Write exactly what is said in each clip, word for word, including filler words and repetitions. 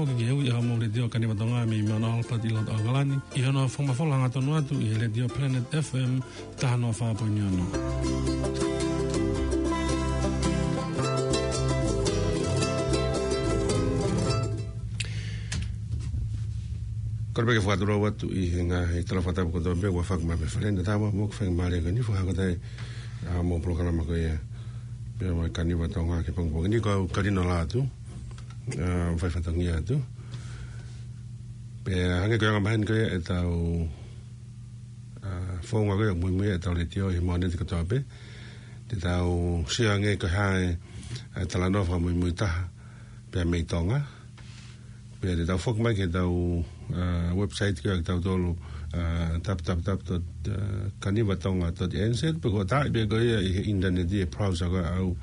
Ki he ui ʻa e Letiō Kaniva Tonga mei Mount Albert ʻi loto ʻAokalani, ʻi hono fakamafola hangatonu atu ʻi he Letiō Planet F M taha noa fā poini ono. Kole pē ke fakatulou atu ʻi he ngaahi tala fakatapu kotoa pē ʻoku fai mai mei he Fale ʻo Tama, mo ke fai mai leva ʻi he fakahoko atu ʻa e polokalama ko ia pea mo e Kaniva Tonga ki he pongipongi ni. Ko au Kalino Lātū, ʻa, fai fatongia atu. Pea hangē ko e anga maheni ko ia ʻetau, ʻa, founga ko ia muimui ʻetau letiō ʻi he Mōnite kotoa pē. Te tau sio ange ko e hā e, ʻa, talanoa fakamuimui taha pea mei Tonga. Pea te tau foki mai ki heʻetau, ʻa, website ko ia ʻa kitautolu, ʻa, w w w dot kanivatonga dot n z, pe ko e taaʻi pē ko ia ʻi he ʻinitaneti ʻi he browser ko ia ʻa au,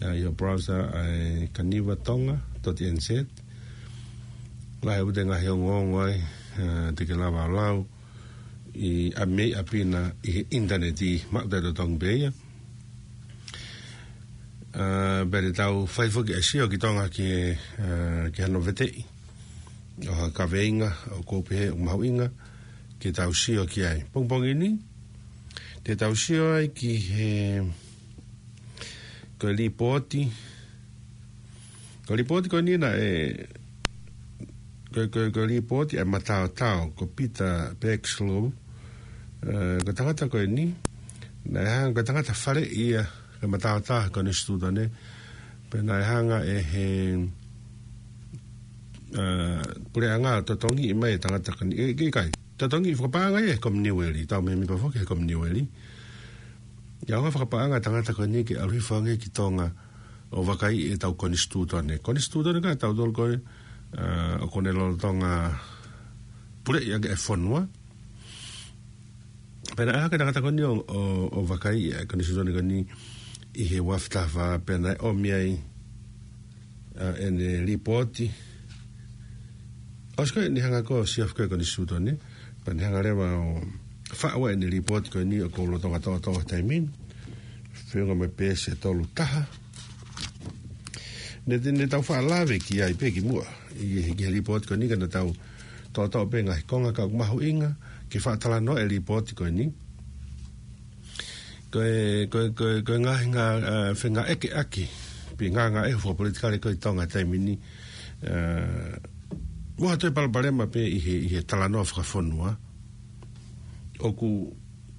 ʻa, ʻi he browser ʻa e kanivatonga dot n z. Lahi ʻa e ngaahi ongoongo ai, ʻa, te ke lava ʻo lau ʻi ʻapi mei ʻapi na ʻi he ʻinitaneti, maʻu taʻetotongi pē ia. ʻA, pea te tau fai foki e sio ki Tonga ki he, ʻa, ki hano veteʻi ʻo ha kaveinga ʻoku ou pehē ʻoku mahuʻinga ke tau sio ki ai. Pongipongi ni, te tau sio ai ki he, ko e lipooti, ko e lipooti ko eni naʻe, ko, ko, ko e lipooti ʻa e mataotao, ko Peter Bergschlow, ʻa, ko e tangata ko eni, naʻe hanga, ko e tangata faleʻi ia, ko e mataotao konisitūtone, pea naʻe hanga ʻe he, ʻa, puleʻanga ʻo totongiʻi mai e tangata ko eni, ʻe, ʻikai, totongiʻi fakapaʻanga ia ʻe he Kominiueli, tau mēmipa foki he Kominiueli. ʻIo, hanga fakapaʻanga e tangata ko eni ke ʻalu hifo ange ki Tonga ʻo vakaiʻi ʻetau konisitūtone. Konisitūtone ko ia ʻatautolu ko ē, ʻa, ʻoku ne lolotonga puleʻi ʻaki e fonua. Pea naʻe hanga ʻe he tangata ko eni ʻo, ʻo, ʻo vakaiʻi e konisitūtone ko eni ʻi he uaafe taha fā, pea naʻe ʻomi ai, ʻa, ʻene lipooti. ʻOsi ko ē ʻene hanga ko ē ʻo sio ki he konisitūtone, pea ne hanga leva ʻo faʻu ʻene lipooti ko eni ʻoku ou lolotonga toʻotoʻo he taimi ni. Feʻunga mo e peesi ʻe tolu taha. Ne, ne tau faʻa lave ki ai pē kimuʻa ʻi he, ki he lipooti ko eni, ka naʻa tau toʻotoʻo pē ngaahi konga ka ʻoku mahuʻinga ke faʻa talanoa e lipooti ko eni. Ko e, ko e, ko e, ko e ngaahi, ʻa, fengāueʻaki, pe ngāngāʻehu fakapolitikale ko ē ʻi Tonga he taimi ni, ʻa, mo ha toe palopalema pē ʻi he, ʻi he talanoa fakafonua ʻoku,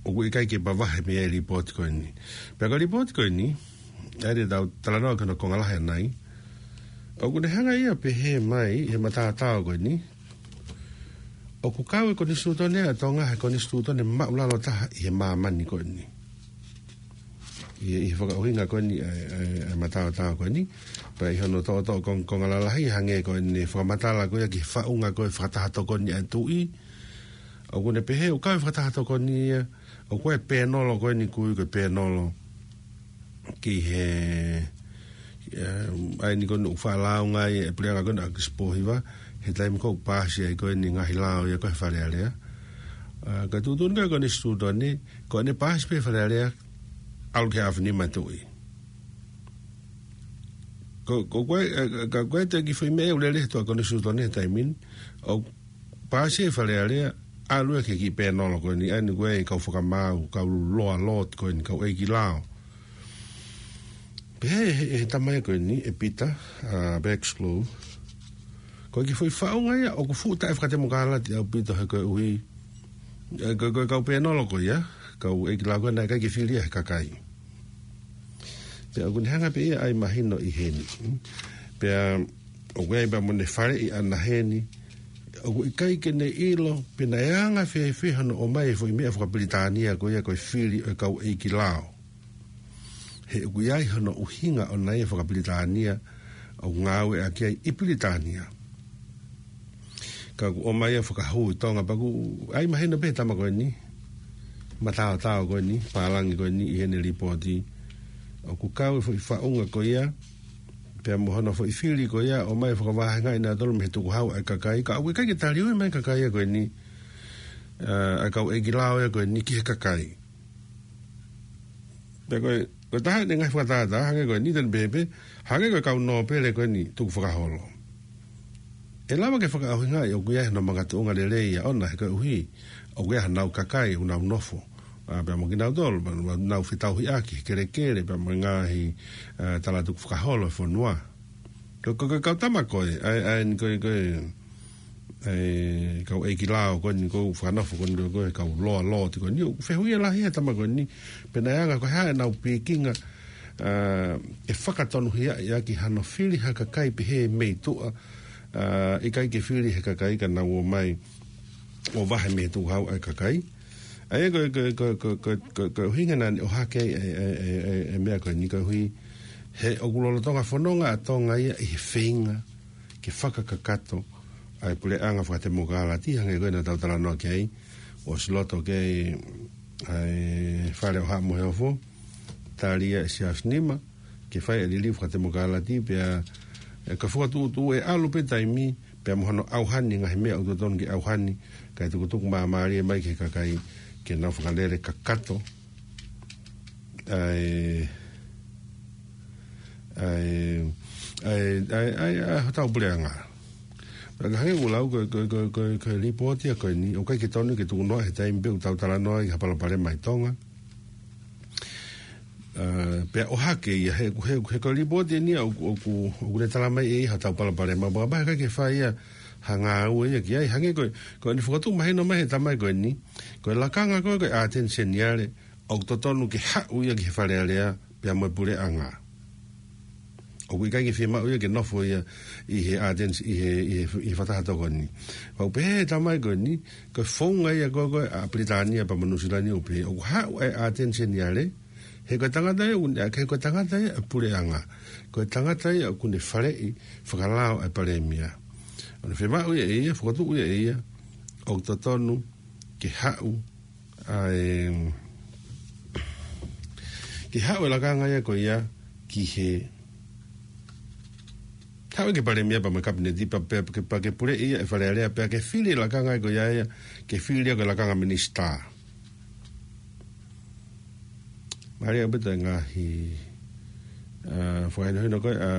ʻoku ʻikai ke mavahe mei ai e lipooti ko eni. Pea ko e lipooti ko eni, ʻa ia te tau talanoa ki hono konga lahi ʻanai, ʻoku ne hanga ia ʻo pehē mai ʻi he mataotao ko eni, ʻoku kau e konisitūtone ʻa Tonga he konisitūtone māʻulalo taha ʻi he māmani ko eni. ʻI, ʻi he fakaʻuhinga ko eni ʻa e, ʻa e, ʻa e mataotao ko eni, pea ʻi hono toʻotoʻo kong-, konga lalahi hangē ko ʻene fakamatala ko ia ki he faʻunga ko ē fakataha tokoni ʻa e tuʻi, ʻoku ne pehē ʻoku kau e fakataha tokoni ia, ʻoku ʻi ai e pēnolo ko eni ʻoku ui ko e pēnolo ki he, ʻa, ʻa eni ko eni ʻoku faʻa lāunga ai e puleʻanga ko eni ʻa ʻAkisi Pōhiva, he taimi ko ē ʻoku paasi ai ko eni e ngaahi lao ia ko ē he Fale Alea. ʻA, ka tuʻutuʻuni ko ē ʻa e konisitūtone, ko ʻene paasi pē Fale Alea, ʻalu ki he ʻAfio Nima e Tuʻi. Ko, ko, ko e, ʻa, ka, ko e kiʻi foʻi meʻa ʻoku lele he tuʻa konisitūtone he taimi ni, ʻoku paasi e Fale Alea, ʻalu ia ki he kiʻi pēnolo ko eni, ʻa eni ko e kau fakamaau, kau loa lord ko eni, kau ʻeiki lao. Pehē ʻe he, he tama ko eni, ʻe Peter, ʻa, Bergschlow, ko e kiʻi foʻi faʻunga ia ʻoku fuʻu taʻefakatemokalati ʻaupito he koeʻuhi, ʻe, ko, ko e kau pēnolo ko ia, kau ʻeiki lao ko ē naʻe ʻikai ke fili ia ʻe he kakai. Pea ʻoku ne hanga pē ia ʻo ʻai mahino ʻi heni. Pea ʻoku ʻi ai pē mo ʻene faleʻi ʻana heni. ʻOku ʻikai ke ne ʻilo pe naʻe anga fēfē hono ʻomai e foʻi meʻa fakapilitānia ko ia ko e fili ʻo e kau ʻeiki lao. He ʻoku ʻi ai hono ʻuhinga ʻona ia fakapilitānia ʻoku ngāueʻaki ai ʻi Pilitānia. Ka ʻoku ʻomai ia ʻo fakahū ʻi Tonga pea ʻoku ʻai mahino pē he tama ko eni, mataotao ko eni, pālangi ko eni ʻi heʻene lipooti. ʻOku kau e foʻi faʻunga ko ia, pea mo hono foʻi fili ko ia, ʻomai ʻo fakavahengaʻi nautolu mei he tukuhau ʻa e kakai, ka ʻoku ʻikai ke taliui mai e kakai ia ko eni, ʻa, ʻa e kau ʻeiki lao ia ko eni ki he kakai. Pea ko e, ko e taha ʻene ngaahi fakatātā, hangē ko eni te ne pehē pē, hangē ko e kau nōpele ko eni tukufakaholo. ʻE lava ke fakaʻuhingaʻi ʻoku ʻi ai hano makatuʻunga lelei ia ʻona he koeʻuhi ʻoku ʻi ai hanau kakai ʻoku nau nofo, ʻa, pea mo kinautolu, pea mo nau fetauhiʻaki he kelekele, pea mo e ngaahi, ʻa, talatukufakaholo e fonua. Ko, ko, ko e kau tama ko ē, ʻa e, ʻa e, ko e, ko e, ʻa e, kau ʻeiki lao ko eni ʻoku fakanofo ko eni ko e, ko e kau loa loa ti ko eni, ʻoku fehuʻia lahi he tama ko eni, pe naʻe anga ko e hā ʻenau pikinga, ʻa, ʻe fakatonuhiaʻi ʻaki hano fili ha kakai pehē mei tuʻa, ʻa, ʻikai ke fili he kakai ka nau ō mai ʻo vahe mei he tukuhau ʻa e kakai. ʻA ia ko e, ko e, ko e, ko e, ko e, ko e, ko e ʻuhinga naʻa ne ʻohake ai e, e, e, e, e meʻa ko eni koeʻuhi he ʻoku lolotonga fononga ʻa Tonga ia ʻi he feinga ke fakakakato ʻa e puleʻanga fakatemokalati hangē ko ē naʻa tau talanoa ki ai, ʻosi loto ki ai ʻa e Fale ʻo Haʻa Moheofo, tali ia ʻe Siaosi Nima, ke fai e liliu fakatemokalati pea, ʻe, ka fakatuʻutuʻu ʻe ʻalu pē taimi, pea mo hono ʻauhani ngaahi meʻa ʻoku totonu ke ʻauhani, kae tukutuku māmālie mai ki he kakai ke nau fakalele kakato ʻa e, ʻa e, ʻa e, ʻa e, ʻa e, ʻa e hotau puleʻanga. Pea ka hangē ʻoku lau ko e, ko e, ko e, ko e, ko e lipooti ia ko eni, ʻoku ʻikai ke tonu ke tukunoa he taimi pē ʻoku tau talanoa ai ki ha palopalema ʻi Tonga. ʻA, pea ʻohake ia he, he, he ko e lipooti eni ia ʻoku, ʻoku, ʻoku ne tala mai ʻe ia hotau palopalema, pea ʻikai ke fai ia ha ngāue ia ki ai, hangē ko e, ko eni fakatuʻu mahino mai he tama ko eni, ko e lakanga ko e, ko e ʻAteni Seniale, ʻoku totonu ke haʻu ia ki he Fale Alea, pea mo e puleʻanga. ʻOku ʻikai ke fiemaʻu ia ke nofo ia ʻi he ʻAteni, ʻi he, ʻi he, ʻi he fakataha tokoni. Pau pehē he tama ko eni, ko e founga ia ko e, ko e ʻa Pilitānia pea mo Nuʻusila ni ʻoku pehē, ʻoku haʻu e ʻAteni Seniale, he ko e tangata ia ʻoku ne, he ko e tangata ia ʻa e puleʻanga. Ko e tangata ia ʻoku ne faleʻi fakalao ʻa e palēmia. ʻOku ne fiemaʻu ia ʻe ia, fakatuʻu ia ʻe ia, ʻoku totonu ke haʻu ʻa e, ke haʻu e lakanga ia ko ia ki he, haʻu ki he palēmia pea mo e kapineti pea, pea, pea, pea ke puleʻi ia e Fale Alea pea ke fili e lakanga ia ko ia ia, ke fili ia ko e lakanga minisitā. Mālie ʻaupito e ngaahi, ʻa, fakahinohino ko e, ʻa,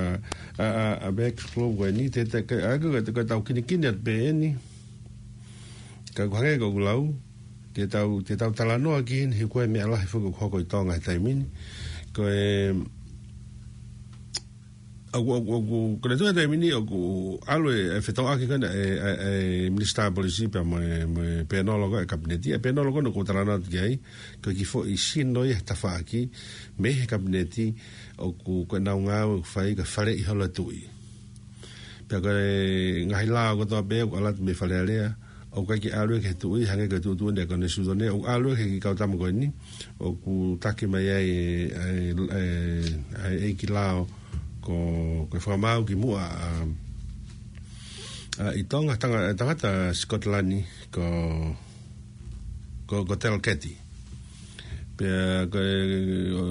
ʻa, ʻa, ʻa Max Flow ko eni, te, te, ke, ʻa, ko, ko, ko e tau kinikini atu pē eni. Ka ʻoku hangē ko ʻeku lau, te tau, te tau talanoa ki heni he ko e meʻa lahi foki ʻoku hoko ʻi Tonga he taimi ni. Ko e, ʻoku, ʻoku, ʻoku, ko e tuʻu he taimi ni ʻoku ʻalu e, e fetauʻaki ko ena e, e, e Minisitā Polisi pea mo e, mo e pēnolo ko e kapineti. E pēnolo ko ena ʻoku ou talanoa atu ki ai, ko e kiʻi foʻi sino ia he tafaʻaki, mei he kapineti, ʻoku, ko ʻenau ngāue ʻoku fai ka faleʻi holo e tuʻi. Pea ko e ngaahi lao kotoa pē ʻoku ʻalu atu mei Fale Alea, ʻoku ʻikai ke ʻalu ia ki he tuʻi, hangē ko e tuʻutuʻuni ʻa e Konisitūtone, ʻoku ʻalu ia ki he kau tama ko eni, ʻoku taki mai ai e, e, e, e ʻeiki lao, ko, ko e fakamaau ki muʻa, ʻa, ʻa, ʻi Tonga, tanga-, tangata Sikotilani, ko, ko, ko Telketi. Pea ko e, ʻo,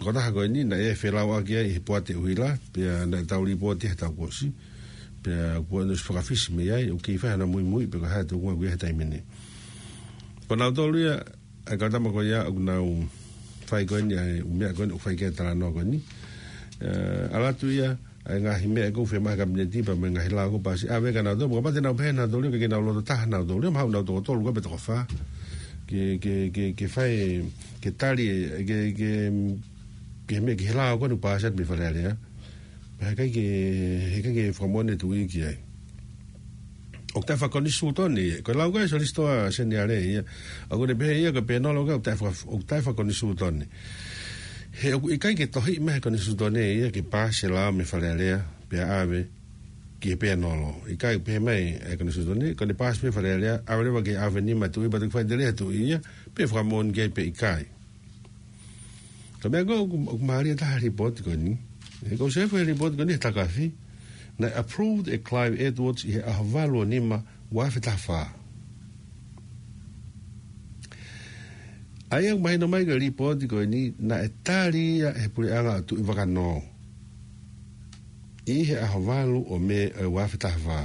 ko e taha ko eni, naʻe felauʻaki ai he poate ʻuhila, pea naʻe tau lipooti he taʻu kuo ʻosi, pea kuo ʻosi fakafisi mei ai, ʻoku kei fai hano muimui, pe ko e hā e tuʻunga ʻoku ʻi ai he taimi ni. Ko nautolu ia, ʻa e kau tama ko ia, ʻoku nau fai ko eni, ʻa e ʻū meʻa ko eni, ʻoku fai ki ai e talanoa ko eni. ʻE, ʻalu atu ia, ʻa e ngaahi meʻa ʻoku fiemaʻu he kapineti pea mo e ngaahi lao ʻoku paasi ʻave kia nautolu, pea kapau te nau pehē nautolu, ke nau loto taha nautolu, mahalo nau toko tolu ko e pe toko fā. Ke, ke, ke, ke fai, ke tali, ke, ke, ke meʻa ki he lao ko eni ʻoku paasi atu mei Fale Alea. He ʻikai ke, he ʻikai ke fakamoʻoni e tuʻi ki ai. ʻOku taʻefakakonisitūtone ia. Ko e lau ko e Solisitā Seniale ia. ʻOku ne pehē ia ko e pēnolo ko e ʻoku taʻefaka-, ʻoku taʻefakakonisitūtone. He ʻoku ʻikai ke tohi mai he Konisitūtone ia ke paasi e lao mei Fale Alea, pea ʻave ki he pēnolo. ʻIkai pehē mai e Konisitūtone, ko ʻene paasi mei Fale Alea, ʻave leva ki he ʻAveni mo e tuʻi, pea toki fai tele he tuʻi ia, pe fakamoʻoni ki ai pe ʻikai. Ka meʻa ko ē ʻoku, ʻoku mālie taha he lipooti ko eni. ʻE, ko e sefo he lipooti ko eni he takafi. Naʻe approved ʻe Clive Edwards ʻi he ʻaho valu ʻo Nima, ua afe taha fā. ʻA ia ʻoku mahino mai ko e lipooti ko eni, naʻe tali ia he puleʻanga ʻo Tuʻivakanō. ʻI he ʻaho valu ʻo Mē ʻo e ua afe taha fā.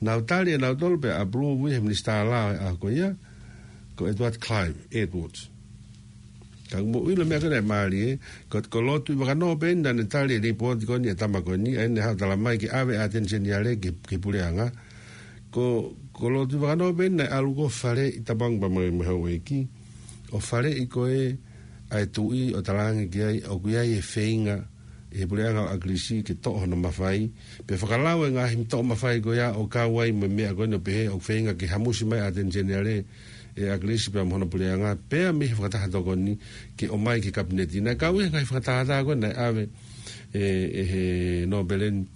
Nau tali ʻe nautolu pea approve ʻe he minisitā lao ʻo e ʻaho ko ia, ko Edward Clive Edwards. Ka ʻoku mou ʻilo e meʻa ko ē naʻe mālie, ko, ko Lord Tuʻivakanō pē eni naʻa ne tali e lipooti ko eni ʻa e tama ko eni, ʻa ē naʻe haʻu ʻo talamai ke ʻave ʻa ʻAteni Seniale ki, ki he puleʻanga. Ko, ko Lord Tuʻivakanō pē eni naʻe ʻalu ko ē ʻo faleʻi, tapu ange pea mo e, mo e houʻeiki, ʻo faleʻi ko ē ʻa e tuʻi ʻo talaange ki ai, ʻoku ʻi ai e feinga ʻi he puleʻanga ʻo ʻAkilisi ke toʻo hono mafai, pea fakalau e ngaahi toʻo mafai ko ia ʻo kau ai mo e meʻa ko eni ʻo pehē ʻoku feinga ke hamusi mai ʻa ʻAteni Seniale ʻe ʻAkilisi pea mo hono puleʻanga, pea mei he fakataha tokoni ke ʻomai ki he kapineti. Naʻe kau ʻi he ngaahi fakataha ko ē naʻe ʻave ʻe, ʻe he nōpele ni,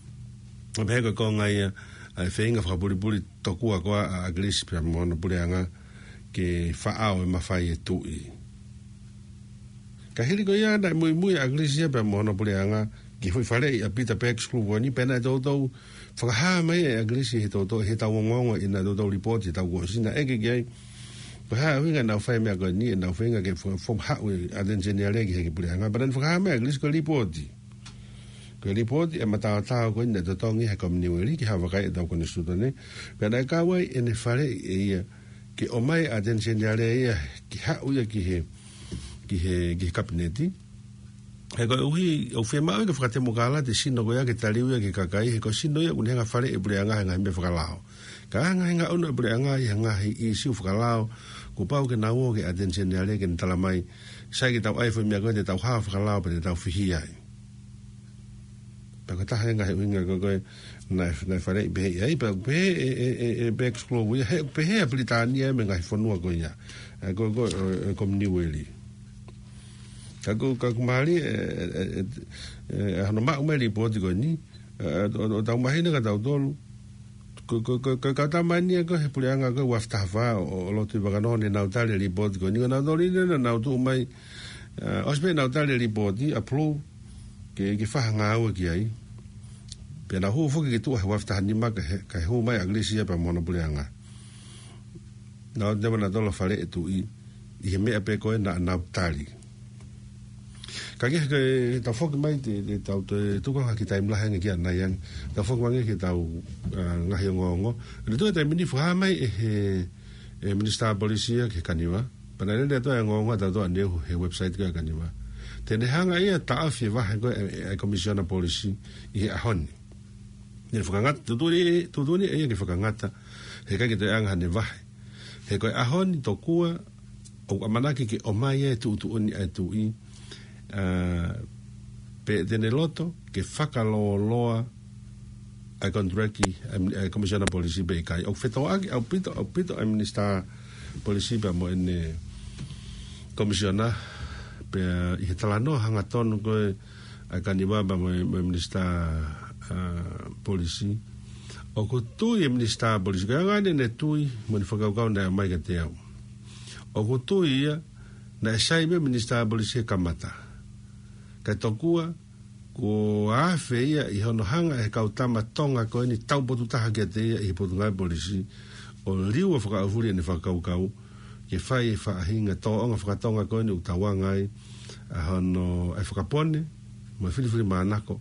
ʻo pehē ko e konga ia ʻa e feinga fakapulipuli tokua ko ē ʻa ʻAkilisi pea mo hono puleʻanga ke faʻao e mafai e tuʻi. Ka hili ko ia naʻe muimui ʻa ʻAkilisi ia pea mo hono puleʻanga ki he foʻi faleʻi ʻa Pita Peeki Sikulofu ko eni, pea naʻe toutou fakahā mai ʻe ʻAkilisi ʻi he toutou, ʻi heʻetau ongoongo ʻi heʻenau toutou lipooti ʻi he taʻu kuo ʻosi, naʻe ʻeke ki ai ko e hā e ʻuhinga ʻenau fai e meʻa ko eni, ʻenau feinga ke fo-, fo-, haʻu ʻa ʻAteni Seniale ki he puleʻanga. Pea naʻe fakahā mai ʻe ʻAkilisi ko e lipooti, ko e lipooti ʻa e mataotao ko eni naʻe totongi ʻe he Kominiueli ki he vakai ʻetau konisitūtone. Pea naʻe kau ai ʻene faleʻi ʻe ia ke ʻomai ʻa ʻAteni Seniale ia ke haʻu ia ki he, ki he, ki he kapineti. He koeʻuhi ʻoku fiemaʻu ia ke fakatemokalati e sino ko ia ke taliu ia ki he kakai, he ko e sino ia ʻoku ne hanga ʻo faleʻi e puleʻanga he ngaahi meʻa fakalao. Ka ʻi he ngaahi ngaʻunu ʻa e puleʻanga ʻi he ngaahi ʻīsiu fakalao, kuo pau ke nau ō kia ʻAteni Seniale ke ne talamai, sai, ke tau ʻai e foʻi meʻa ko ē, te tau hao fakalao pea te tau fihia ai. Pea ko e taha e ngaahi ʻuhinga ko ē naʻe, naʻe faleʻi pehē ai, pea pehē ʻe, ʻe, ʻe, ʻe Peeki Sikulofu ia, he pehē ʻa Pilitānia mo e ngaahi fonua ko ia, ʻa e ko, ko, ʻe, ʻe Kominiueli. Ka ko, ka ʻoku mālie e, e, e, e, e hono maʻu mai e lipooti ko eni, ʻe, ʻo, ʻo, ʻo tau mahino kia tautolu, ko, ko, ko, ko e kau tama eni ia ko ē he puleʻanga ko ē ua afe taha fā ʻo, ʻo Lord Tuʻivakanō naʻa nau tali e lipooti ko eni, ko nautolu eni naʻa nau tuʻu mai, ʻe, ʻosi pē ʻenau tali e lipooti, approve, ke, ke fai ha ngāue ki ai. Pea nau hū foki ki tuʻa he ua afe taha nima kae, kae hū mai ʻa ʻAkilisi ia pea mo hono puleʻanga. Naʻa nau toe ō nautolu ʻo faleʻi e tuʻi ʻi he meʻa pē ko ē naʻa nau tali. Ka ke, ke tau foki mai te, te tau toe tuku ha kiʻi taimi lahi ange ki ʻanai ange. Tau foki mai ange ki heʻetau, ʻa, ngaahi ongoongo. Naʻe toe taimi ni fakahā mai ʻe he, ʻe he Minisitā Polisi ia ki he Kaniva. Pea naʻe lele atu e ongoongo ʻa tautolu ʻaneuhu he website ko ē ʻa e Kaniva. Te ne hanga ia ʻo taʻofi e vahe ko ē ʻa e, ʻa e Komisiona Polisi ʻi he ʻaho ni. Naʻe fakangata, tuʻutuʻuni, tuʻutuʻuni ʻe ia ke fakangata, he ʻikai ke toe ʻi ai ha ngaahi vahe. He ko e ʻaho ni tokua ʻoku ʻamanaki ke ʻomai e tuʻutuʻuni ʻa e tuʻi, ʻa, pe te ne loto ke fakalōloa ʻa e contract ʻa e, ʻa e Komisiona Polisi pe ʻikai. ʻOku fetōʻaki ʻaupito, ʻaupito ʻa e Minisitā Polisi pea mo ʻene Komisiona, pea ʻi he talanoa hangatonu ko ē ʻa e Kaniva pea mo e, mo e Minisitā, ʻa, Polisi. ʻOku tui e Minisitā Polisi, ko e anga eni ʻene tui mo ʻene fakakaukau naʻe ʻomai kiate au. ʻOku tui ia naʻe sai pē Minisitā Polisi he kamata. Kae tokua, kuo afe ia ʻi hono hanga ʻe he kau tama Tonga ko eni taupotu taha kiate ia ʻi he Potungāue Polisi ʻo liua fakaʻaufuli ʻene fakakaukau ke fai e faʻahinga tōʻonga fakatonga ko eni ʻoku tauanga ai ʻa hono, ʻa e fakapone mo e filifilimānako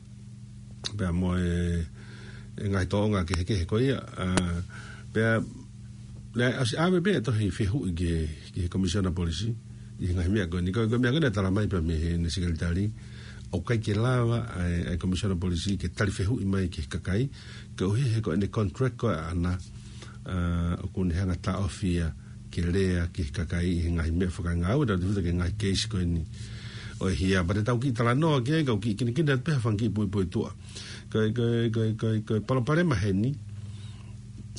pea mo e, e ngaahi tōʻonga kehekehe ko ia, ʻa, pea naʻe ʻosi ʻave pē e tohi fehuʻi ki he, ki he Komisiona Polisi ʻi he ngaahi meʻa ko eni. Ko e, ko e meʻa ko ē naʻe talamai pē mei heʻene sekelitali, ʻoku ʻikai ke lava ʻa e, ʻa e Komisiona Polisi ke tali fehuʻi mai ki he kakai, koeʻuhi he ko ʻene contract ko ē ʻaʻana, ʻa, ʻoku ne hanga ʻo taʻofi ia ke lea ki he kakai ʻi he ngaahi meʻa fakangāue, tautefito ki he ngaahi keisi ko eni ʻo e hia. Pea te tau kiʻi talanoa ki ai, kau kiʻi kinikini atu pē ha fanga kiʻi puipuituʻa. Ko e, ko e, ko e, ko e, ko e palopalema heni,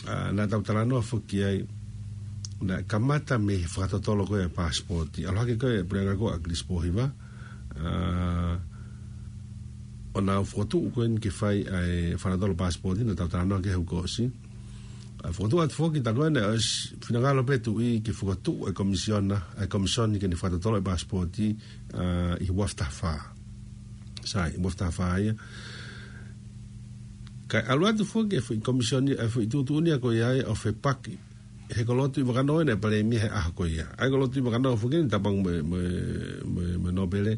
ʻa, naʻa tau talanoa foki ai, naʻe kamata mei he fakatotolo ko ē ʻa e paasipooti. ʻAlu hake ko ē e puleʻanga ko ē ʻa ʻAkilisi Pōhiva, ʻa, ʻo nau fokotuʻu ko eni ke fai ʻa e fakatotolo paasipooti, naʻa tau talanoa ki ai he kuo ʻosi. ʻA, fokotuʻu atu foki, tā ko ē naʻe ʻosi finangalo pē tuʻi ke fokotuʻu e komisiona, e komisoni ke ne fakatotolo e paasipooti, ʻa, ʻi he ua afe taha fā. Sai, ua afe taha fā ia. Kae ʻalu atu foki e foʻi komisioni, e foʻi tuʻutuʻuni ia ko ia ʻo fepaki he ko Lord Tuʻivakanō naʻe palēmia he ʻaho ko ia. ʻA ia ko Lord Tuʻivakanō foki eni, tapu ange mo e, mo e, mo e, mo e nōpele,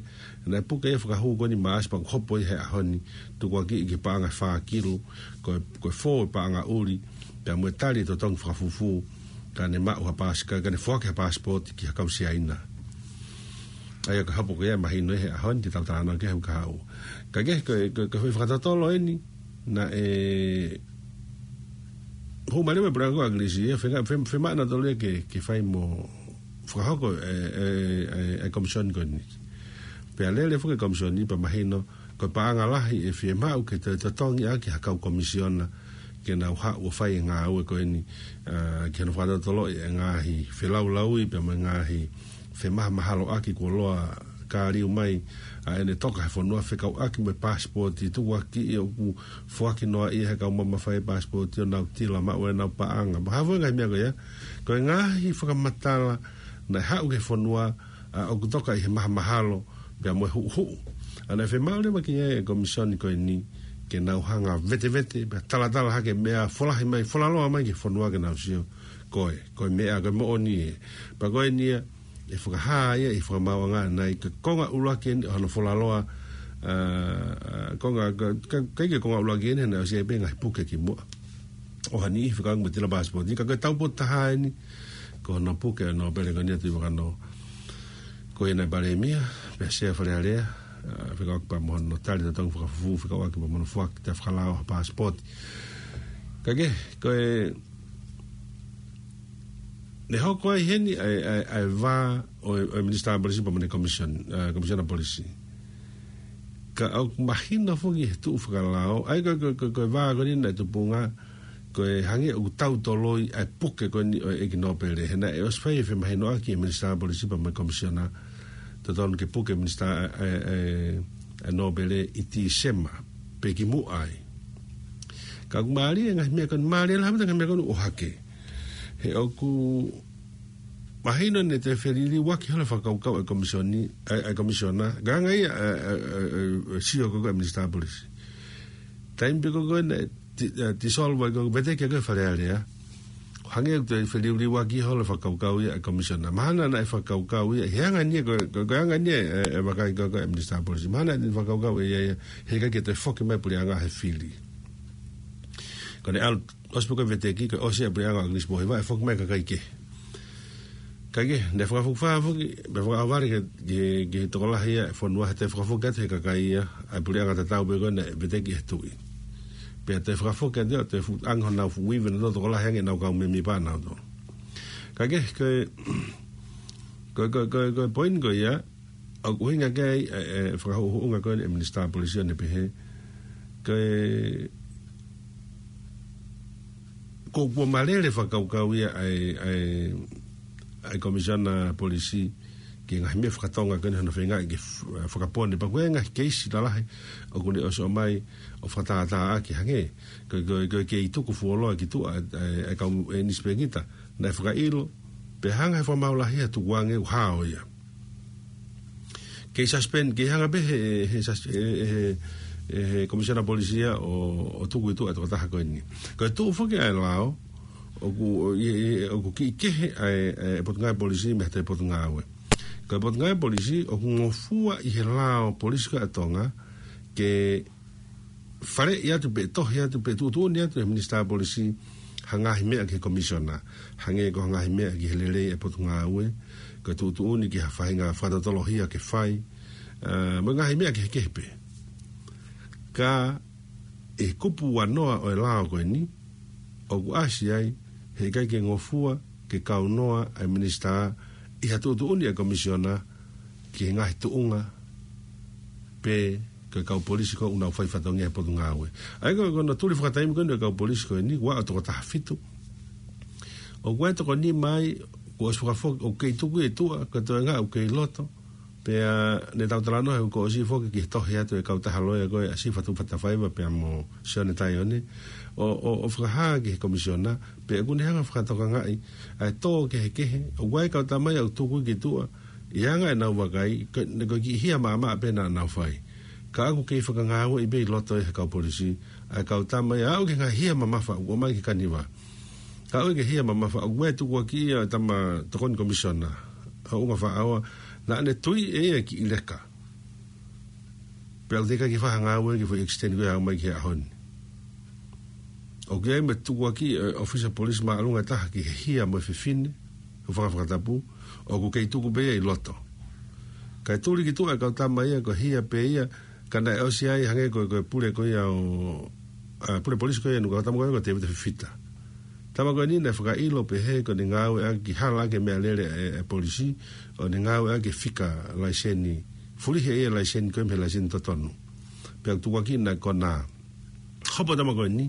naʻe puke ia fakahū ko eni Maʻasi pea hopo ia he ʻaho ni, tukuakiʻi ki he paʻanga ʻe fā kilu, ko e, ko e fō e paʻanga ʻuli, pea mo e tali e totongi fakafufū, ka ne maʻu ha paasi-, ka, ka ne foaki ha paasipooti ki ha kau Siaina. ʻA ia ko e hopo ko ia ʻe mahino he ʻaho ni te tau talanoa ki ai he uike kahaʻu. Ka ke, ko, ko, ko e fakatotolo eni, naʻe hū mai leva e puleʻanga ko ē ʻa ʻIngilisi, ʻe fenga-, fe-, fiemaʻu nautolu ia ke, ke fai mo fakahoko e, e, e, e komisioni ko eni. Pea lele foki e komisioni pea mahino, ko e paʻanga lahi ʻe fiemaʻu ke toe totongi ʻaki ha kau komisiona, ke nau haʻu ʻo fai e ngāue ko eni, ʻa, ke nau fakatotoloʻi e ngaahi felaulauʻi pea mo e ngaahi femahamahaloʻaki kuo ʻosi kāliu mai ʻa ʻene toka he fonua fekauʻaki mo e paasipooti tukuakiʻi ʻoku foaki noaʻia ʻe he kau mamafa e paasipooti ʻo nau tila maʻu ʻenau paʻanga. Mo ha foʻi ngaahi meʻa ko ia, ko e ngaahi fakamatala naʻe haʻu ki he fonua, ʻa, ʻoku toka ʻi he mahamahalo pea mo e huʻuhuʻu. ʻA naʻe fiemaʻu leva ki ai e komisioni ko eni ke nau hanga vetevete, pea talatala hake meʻa folahi mai, folaloa mai ki he fonua ke nau sio ko e, ko e meʻa, ko e moʻoni ē. Pea ko eni ia, ʻe fakahā ia ʻi he fakamaauʻanga ʻanenai, ko e konga ʻuluaki eni ʻo hono folaloa, ʻa, ʻa, konga, ka, ka, ʻikai ke konga ʻuluaki eni, naʻe ʻosi ʻi ai pē ngaahi puke kimuʻa ʻo ha niʻihi fekauʻaki mo e tila paasipooti, ka ko e taupotu taha eni, ko hono puke ʻo e nōpele ko eni ʻa Tuʻivakanō. Ko ia naʻe palēmia, pea sea Fale Alea, ʻa, fekauʻaki pea mo hono tali totongi fakafufū, fekauʻaki pea mo hono foaki ʻa e fakalao ha paasipooti. Ka ke, ko e, naʻe hoko ai heni ʻa e, ʻa e, ʻa e vā ʻo e, ʻo e Minisitā Polisi pea mo ʻene komisiona, ʻa, komisiona polisi. Ka ʻoku mahino foki he tuʻu fakalao, ʻa ia ko, ko, ko, ko e vā ko eni naʻe tupunga, ko e hangē ʻoku tau toloi ʻa e puke ko eni ʻo e ʻEiki Nōpele. He naʻe ʻosi fai e femahinoʻaki ʻe he Minisitā Polisi pea mo e komisiona, totonu ke puke e Minisitā, ʻa e, ʻa e, ʻa e Nōpele ʻi Tīsema, pe kimuʻa ai. Ka ʻoku mālie e ngaahi meʻa ko eni, mālie lahi ʻa e ngaahi meʻa ko eni ʻohake. He ʻoku mahino naʻe toe feliliuaki holo e fakakaukau ʻa e komisioni, ʻa e, ʻa e komisiona, ka hangē ia, ʻa e, ʻa e, ʻa e, ʻa e, ʻa e sio ko ē ʻa e Minisitā Polisi. Taimi pē ko ē naʻe ti-, ʻa, dissolve ai ko ē, veteki ko ē Fale Alea. Hangē ʻoku toe feliliuaki holo e fakakaukau ia ʻa e komisiona. Mahalo naʻe fakakaukau ia, he anga eni ia ko, ko, ko e anga eni ia e, e vakai ko ē ʻa e Minisitā Polisi. Mahalo naʻe fakakaukau ʻe ia ia, he ʻikai ke toe foki mai e puleʻanga he fili. Ko ʻene ʻalu, ʻosi pē ko e veteki, ko e ʻosi e puleʻanga ʻo ʻAkilisi Pōhiva, ʻe foki mai e kakai kehe. Ka ke, naʻe fakafokifā foki, pea fakaʻauvale ki he, ki he, ki he tokolahi ia e fonua he toe fakafoki atu he kakai ia, ʻa e puleʻanga tatau pē ko ē naʻe veteki ʻe he tuʻi. Pea toe fakafoki atu ia, toe fuʻu angi honau fuʻu ivi nautolu tokolahi ange ʻenau kau mēmipa nautolu. Ka ke, ko e, ko e, ko e, ko e, ko e poini ko ia, ʻoku ʻuhinga ki ai, ʻa e, ʻa e fakahuʻuhuʻunga ko eni ʻa e Minisitā Polisi ʻo ne pehē, ko e, ko, kuo malele e fakakaukau ia ʻa e, ʻa e, ʻa e Komisiona Polisi ki he ngaahi meʻa faka-Tonga ko eni hono feingaʻi ke f-, fakapone. Pea ko e ngaahi keisi lalahi ʻoku ne ʻosi ʻomai ʻo fakatātāʻaki hangē ko e, ko e, ko e kei tuku fuoloa ki tuʻa ʻa e, ʻa e kau ʻinisipekita naʻe fakaʻilo, pea hanga ʻe he fakamaau lahi ia ʻo tukuange ʻo hao ia. Kei suspend, kei hanga pē he, he sus-, he, he, he, he Komisiona Polisi ia ʻo, ʻo tuku ʻi tuʻa e tokotaha ko eni. Ko e tuʻu foki ʻa e lao, ʻoku, ʻo, ʻi, ʻi, ʻoku kiʻi kehe ʻa e, ʻa e Potungāue Polisi mei he Potungāue. Ko e Potungāue Polisi, ʻoku ngofua ʻi he lao polisi ko ē ʻa Tonga, ke faleʻi atu pe tohi atu pe tuʻutuʻuni atu ʻe he Minisitā Polisi ha ngaahi meʻa ki he Komisiona. Hangē ko ha ngaahi meʻa ki he lelei ʻa e Potungāue, ko e tuʻutuʻuni ki ha faʻahinga fakatotoloʻi ke fai, ʻa, mo e ngaahi meʻa kehekehe pē. Ka ʻi he kupu uanoa ʻo e lao ko eni, ʻoku ʻasi ai, he ʻikai ke ngofua, ke kaunoa ʻa e Minisitā ʻi ha tuʻutuʻuni ʻa e Komisiona ki he ngaahi tuʻunga pe ko e kau polisi ko ē ʻoku nau fai fatongia he Potungāue. ʻA ia ko, ko hono tuli fakataimi ko eni ʻo e kau polisi ko eni, ua ʻo tokotaha fitu. ʻOku ʻi ai e toko nima ai, kuo ʻosi fakafoki, ʻoku kei tuku ʻi tuʻa, ko e toenga ʻoku kei loto. Pea ne tau talanoa he kuo ʻosi foki ki he tohi atu ʻa e kautaha loea ko ē ʻa Sifa Tuʻifatafaiva pea mo Sione Taione. ʻO, ʻo, ʻo fakahā ki he Komisiona, pea ʻoku ne hanga ʻo fakatokangaʻi ʻa e tō kehekehe, ʻoku ʻi ai e kau tama ia ʻoku tuku ki tuʻa, ʻi he anga ʻenau vakai, ko, ko e kiʻi hia maʻamaʻa pē naʻa nau fai. Ka ʻoku kei fakangāueʻi pē ʻi loto ʻe he kau polisi ʻa e kau tama ia ʻo aʻu ki he ngaahi hia mamafa ʻoku ʻomai ki Kaniva. Ka ʻoku ʻi ai e hia mamafa ʻoku ʻi ai e tukuakiʻi ʻa e tama tokoni Komisiona, ʻa Ungafaʻaoa, naʻa ne tui ʻe ia e kiʻi leka. Pea ʻoku teʻeki ke fakangāueʻi e foʻi extend ko ē ʻa e aʻu mai ki he ʻaho ni. ʻOku ʻi ai mo e tukuakiʻi ʻo e ʻōfisa polisi māʻolunga ʻe taha ki he hia mo e fefine, ʻo fakafakatapu, ʻoku kei tuku pē ia ʻi loto. Kae tuli ki tuʻa e kau tama ia ko e hia pē ia, ka naʻe ʻosi ai hangē ko e, ko e pule ko ia ʻo, ʻa, pule polisi ko ia ʻo e nuku tama ko ia ko Tēvita Fifita. Tama ko eni naʻe fakaʻilo pehē ko ʻene ngāueʻaki hala ʻaki e meʻalele ʻa e, ʻa e polisi, ʻo ne ngāueʻaki e fika laiseni, fulihi ʻe ia e laiseni ko ia mei he laiseni totonu. Pea tukuakiʻi naʻe konā. Hopo tama ko eni,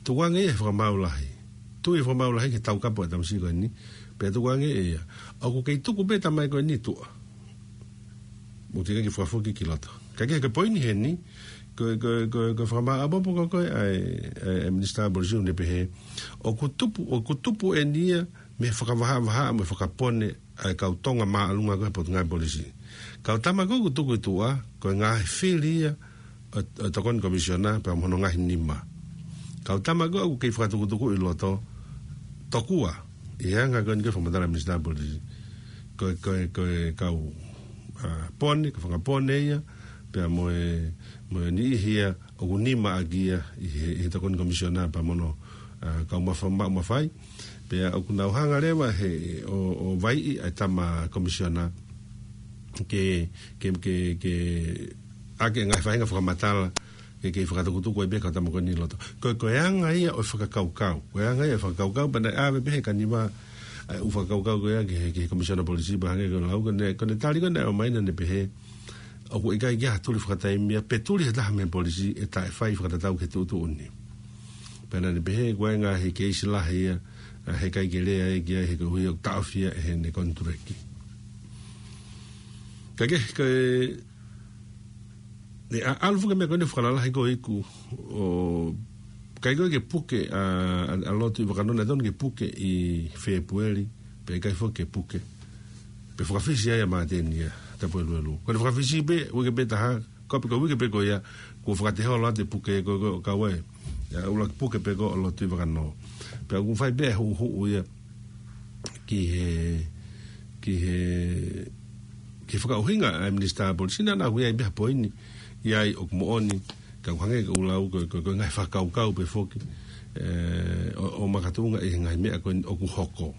tukuange ia he fakamaau lahi. Tui e fakamaau lahi ki he taukapo ʻa e tamasiʻi ko eni, pea tukuange ia. ʻOku kei tuku pē tama ko eni tuʻa. Mo te ke fakafoki ki loto. Ka ke, ke poini heni, ko, ko, ko, ko e fakamaau ʻapopo ko, ko e, ʻa e, ʻa e, ʻa e Minisitā Polisi ʻoku ne pehē. ʻOku tupu, ʻoku tupu eni ia, mei he fakavahavahaʻa, mei he fakapone, ʻa e kau Tonga māʻolunga ko e Potungāue Polisi. Kau tama ko ē ʻoku tuku ʻi tuʻa, ko e ngaahi fili ia, ʻo, ʻo e Tokoni Komisiona, pea mo hono ngaahi nima. Kau tama ko ē ʻoku kei fakatukutuku ʻi loto, tokua, ʻi he anga ko eni ko e fakamatala Minisitā Polisi. Ko e, ko e, ko e kau, ʻa, pone, ko e fakapone ia, pea mo e, mo e niʻihi ia, ʻoku nima ʻaki ia, ʻi he, ʻi he Tokoni Komisiona, pea mo hono, ʻa, kau mafa-, ma-, mafai. Pea ʻoku nau hanga leva he ʻo, ʻo vaiʻi ʻa e tama Komisiona ke, ke, ke, ke ʻaki e ngaahi faʻahinga fakamatala, ke, ke fakatukutuku ai pē kau tama ko eni ʻi loto. Ko, ko e anga ia ʻo e fakakaukau. Ko e anga ia ʻo e fakakaukau, pea naʻe ʻave pē he kau nima, ʻa e ʻū fakakaukau ko ia ki he, ki he Komisiona Polisi, pea hangē ko e lau, ko ʻene, ko ʻene tali ko ē naʻe ʻomai naʻa ne pehē, ʻoku ʻikai ke ʻi ai ha tuli fakataimi ia, pe tuli ʻe ha taha mei he polisi ʻe taʻefai fakatatau ki he tuʻutuʻuni. Pea naʻa ne pehē, ko e ngaahi keisi lahi ia, ʻa, heʻikai ke lea ia ki ai he koeʻuhi ʻoku taʻofi ia ʻe heʻene konituleki. Ka ke, ke, ne ʻa, ʻalu foki e meʻa ko eni ʻo fakalalahi ko ē ʻoku, ʻo, ʻikai ko ē ke puke, ʻa, ʻa, ʻa Lōtuʻivakanō, naʻe totonu ke puke ʻi Fēpueli, pea ʻikai foki ke puke. Pea fakafisi ai ʻa Māteni ia, Tapueluelu. Ko ʻene fakafisi pē, uike pē taha, ko e pē ko e uike pē ko ia, kuo fakateholo atu e puke ko, ko, ka ue. ʻIa, ʻuluaki puke pē ko ē ʻo Lōtuʻivakanō. Pea ʻoku fai pē e huʻuhuʻu ia ki he, ki he, ki he fakaʻuhinga ʻa e Minisitā Polisi naʻa na ui ai pē ha poini, ʻi ai ʻoku moʻoni, ka ʻoku hangē ko e lau ko, ko, ko e ngaahi fakakaukau pē foki, ē, ʻo, ʻo makatuʻunga ʻi he ngaahi meʻa ko eni ʻoku hoko.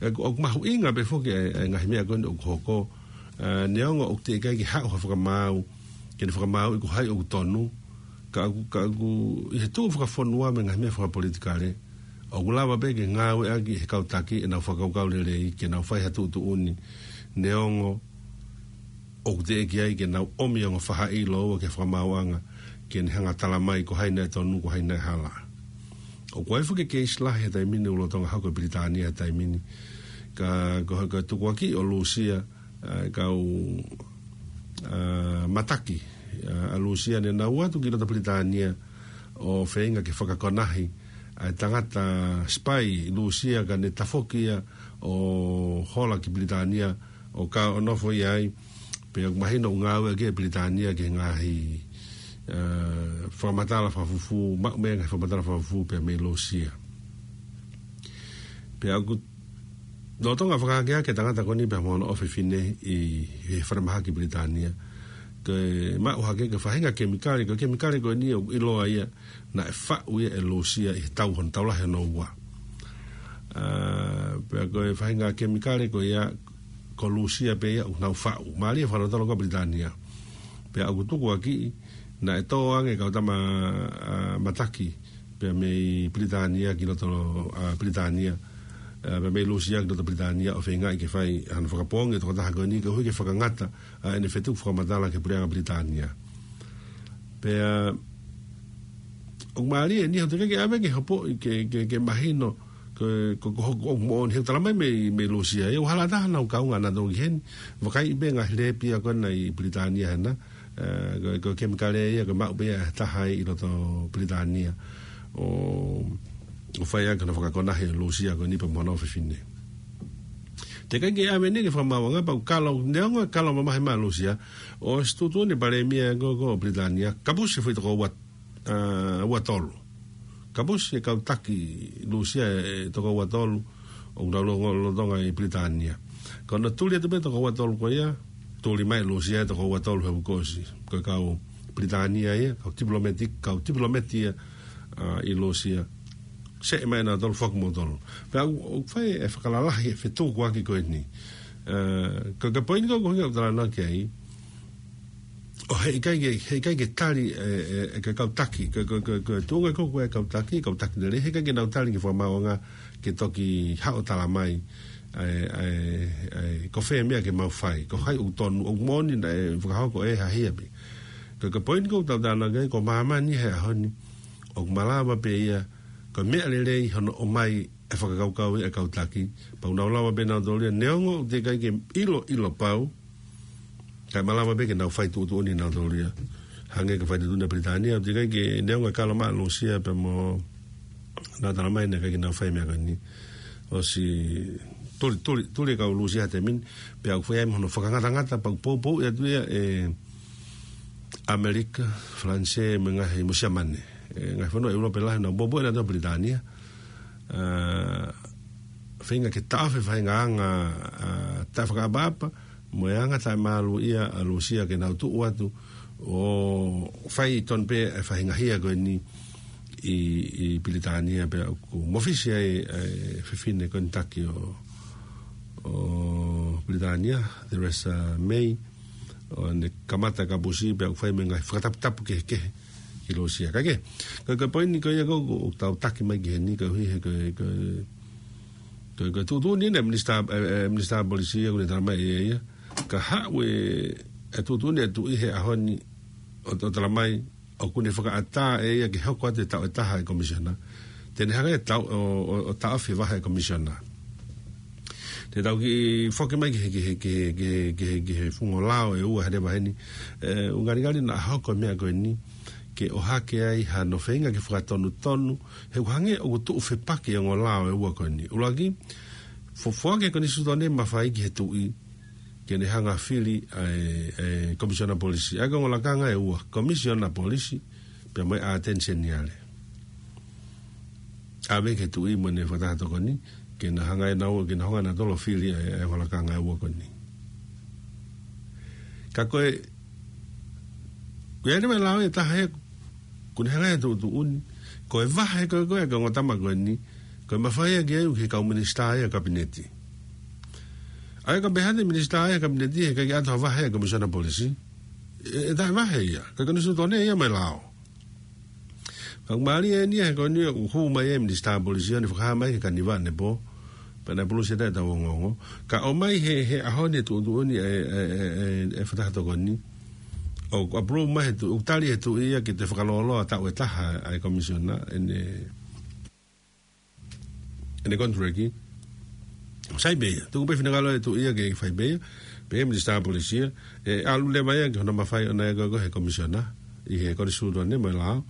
ʻE, ʻoku mahuʻinga pē foki e, e ngaahi meʻa ko eni ʻoku hoko, ē, neongo ʻoku teʻeki ai ke haʻu ha fakamaau, ke ne fakamaauʻi ko hai ʻoku tonu, ka ʻoku, ka ʻoku ʻi he tuʻu fakafonua mo e ngaahi meʻa fakapolitikale, ʻoku lava pē ke ngāueʻaki ʻe he kau taki ʻenau fakakaukau lelei, ke nau fai ha tuʻutuʻuni, neongo ʻoku teʻeki ai ke nau ʻomi ʻa e ongo faʻahi ʻi loua ki he fakamaauʻanga, ke ne hanga ʻo tala mai ko hai naʻe tonu, ko hai naʻe hala. ʻOku ʻi ai foki e keisi lahi he taimi ni ʻoku lolotonga hoko ʻi Pilitānia he taimi ni. Ka, ko, ko e tukuakiʻi ʻo Lūsia, ʻa e kau, ʻa, mataki, ʻa, ʻa Lūsia ne nau ō atu ki loto Pilitānia ʻo feinga ke fakakonahi ʻa e tangata sipai Lūsia ka ne tafoki ia ʻo hola ki Pilitānia ʻo ka ʻo nofo ia ai, pea ʻoku mahino ʻoku ngāueʻaki ʻe Pilitānia ki he ngaahi, ʻa, fakamatala fakafufū, maʻu mei he ngaahi fakamatala fakafufū pea mei Lūsia. Pea ʻoku lolotonga fakaakeake e tangata ko eni pea mo hono ʻofefine ʻi he falemahaki Pilitānia. Ke maʻu hake ki he faʻahinga kemikale, ko e kemikale ko eni ʻoku ʻiloa ia naʻe faʻu ia ʻe Lūsia ʻi he tau hono tau lahi hono ua. ʻA, pea ko e faʻahinga kemikale ko ia ko Lūsia pē ia ʻoku nau faʻu. Mālie e fakalotolo ko Pilitānia. Pea ʻoku tukuakiʻi naʻe tō ange e kau tama, ʻa, mataki pea mei Pilitānia ki loto, ʻa, Pilitānia, ʻa, pea mei Lūsia ki loto Pilitānia ʻo feingaʻi ke fai hano fakapoongi e tokotaha ko eni koeʻuhi ke fakangata, ʻa, ʻene fetuku fakamatala ki he puleʻanga Pilitānia. Pea, ʻoku mālie eni, ʻoku teʻeki ke ʻave ke hopo, ke, ke, ke mahino, ko, ko, ko, ko, ʻoku moʻoni he ʻoku tala mai mei, mei Lūsia. ʻE ʻoku hala taha ʻenau kaunga naʻa nau toki heni, vakai pē ngaahi lēpi ia ko ena ʻi Pilitānia hena, ʻa, ko, ko e kemikale ia ko e maʻu pē ia ʻe ha taha ʻi loto Pilitānia. ʻO, ʻo fai ʻaki hano fakakonahi ʻa Lūsia ko eni pea mo hono ʻofefine. Teʻeki ke ʻave eni ki he fakamaauʻanga pea ʻoku kalo, neongo e kalo mamahi mai ʻa Lūsia, ʻosi tuʻutuʻuni e palēmia ko, ko Pilitānia, kapusi e foʻi toko ua, ʻa, ua tolu. Kapusi e kau taki Lūsia e toko ua tolu, ʻoku nau longo lolotonga ʻi Pilitānia. Ka naʻe tuli atu pē toko ua tolu ko ia, tuli mai Lūsia e toko ua tolu he uike kuo ʻosi. Ko e kau Pilitānia ia, kau tipilōmeti, kau tipilōmeti ia, ʻa, ʻi Lūsia. Seʻe mai nautolu, foki moutolu. Pea ʻoku, ʻoku fai e fakalalahi e fetukuaki ko eni. Ē, ko, ko e poini ko, ko e ʻuhinga ʻoku ou talanoa ki ai. ʻO heʻikai ke, heʻikai ke tali, ē, ē, ē, ko e kau taki, ko, ko, ko, ko e tuʻunga ko, ko e kau taki, kau taki lelei, heʻikai ke nau tali ki he fakamaauʻanga ke toki haʻu ʻo tala mai, ē, ē, ē, ko fē meʻa ke mau fai, ko hai ʻoku tonu, ʻoku moʻoni naʻe fakahoko ʻe ha hia pē. Ko, ko e poini ko ʻoku ou talanoa ki ai, ko māmani he ʻaho ni, ʻoku malava pē ia, ko e meʻa lelei hono ʻomai ʻe he fakakaukau ʻa e kau taki, pea ʻoku nau lava pē nautolu ia, neongo ʻoku teʻeki ai ke ʻiloʻilo pau, kae malava pē ke nau fai tuʻutuʻuni nautolu ia. Hangē ko e fai tuʻutuʻuni ʻa Pilitānia, ʻoku teʻeki ai ke neongo e kalo mai ʻa Lūsia pea mo nau tala mai naʻe ʻikai ke nau fai e meʻa ko eni. ʻOsi tuli, tuli, tuli e kau Lūsia he taimi ni, pea ʻoku fai ai mo hono fakangatangata, pea ʻoku poupouʻi atu ia ʻe ʻAmelika, Falanisē, mo e ngaahi mo Siamane. ʻE, ngaahi fonua ʻEulope lahi naʻa nau poupouʻi ʻe nautolu ʻa Pilitānia. Ā, feinga ke taʻofi e faʻahinga anga, ā, taʻefakaʻapaʻapa, mo e anga taʻemāluʻia ʻa Lūsia ke nau tuʻu atu ʻo fai tonu pē e faʻahinga hia ko eni ʻi, ʻi Pilitānia pea ʻoku mafisi ai e fefine ko eni taki ʻo, ʻo Pilitānia, Theresa May, ʻo ne kamata kapusi pea ʻoku fai mo e ngaahi fakataputapu kehekehe ki Lūsia. Ka ke, ko, ko e poini ko ia ko, ko ʻoku tau taki mai ki heni, koeʻuhi he ko, ko, ko, ko e tuʻutuʻuni ʻa e minisitā, ē, ē, minisitā polisi ʻoku ne tala mai ʻe ia. Ka haʻu e, e tuʻutuʻuni ʻa e tuʻi he ʻaho ni ʻo, ʻo tala mai, ʻoku ne fakaʻatā ʻe ia ke hoko atu e taʻu ʻe taha e komisiona. Te ne hanga ʻe ia ʻo, ʻo, ʻo taʻofi e vahe e komisiona. Te tau kiʻi foki mai ki he, ki he, ki he, ki he, ki he, ki he funga lao ʻe ua he leva heni. Ē, ʻoku ngalingali naʻa hoko e meʻa ko eni ke ʻohake ai hano feinga ke fakatonutonu, he ʻoku hangē ʻoku tuʻu fepaki e ongo lao ʻe ua ko eni. ʻUluaki, fo-, foaki e konisitūtone mafai ki he tuʻi, ke ne hanga ʻo fili ʻa e, ʻa e komisiona polisi. ʻA ia ko e ongo lakanga ʻe ua, komisiona polisi, pea mo e ʻAteni Seniale. ʻAve ki he tuʻi mo ʻene fakataha tokoni, ke na hanga ʻe nautolu, ke na hanga ʻe nautolu ʻo fili ʻa e, ʻa e ongo lakanga ʻe ua ko eni. Ka ko e, ko e ʻai mai e lao ʻe taha ē, ʻoku ne hanga ʻe ia ʻo tuʻutuʻuni, ko e vahe ko ē ko ē ʻa e ongo tama ko eni, ko e mafai ia ke ʻai ʻe he kau minisitā ia ʻo e kapineti. ʻA ia ka pehē atu e minisitā ia ʻo e kapineti, heʻikai ke ʻoatu ha vahe ʻa e komisiona polisi. ʻE, ʻe taʻevahe ia, ko e konisitūtone ia mo e lao. Ka ʻoku mālie eni ia he ko eni ʻoku hū mai e minisitā polisi ʻo ne fakahā mai ki he Kaniva ʻanepō, pea naʻe pulusi ʻe taha ʻetau ongoongo. Ka ʻomai he, he ʻaho ni e tuʻutuʻuni ʻa e, ʻa e, ʻa e, ʻa e fakataha tokoni. ʻOku approve mai he tuʻi, ʻoku tali he tuʻi ia ke toe fakalōloa taʻu ʻe taha ʻa e komisiona, ʻene ʻene konituleki. Sai pē ia, tuku pē finangalo e tuʻi ia ke fai pē ia, pehē minisitā polisi ia, ʻe ʻalu leva ia ki hono mafai ʻona ia ko ē ko e komisiona, ʻi he konisitūtone mo e lao,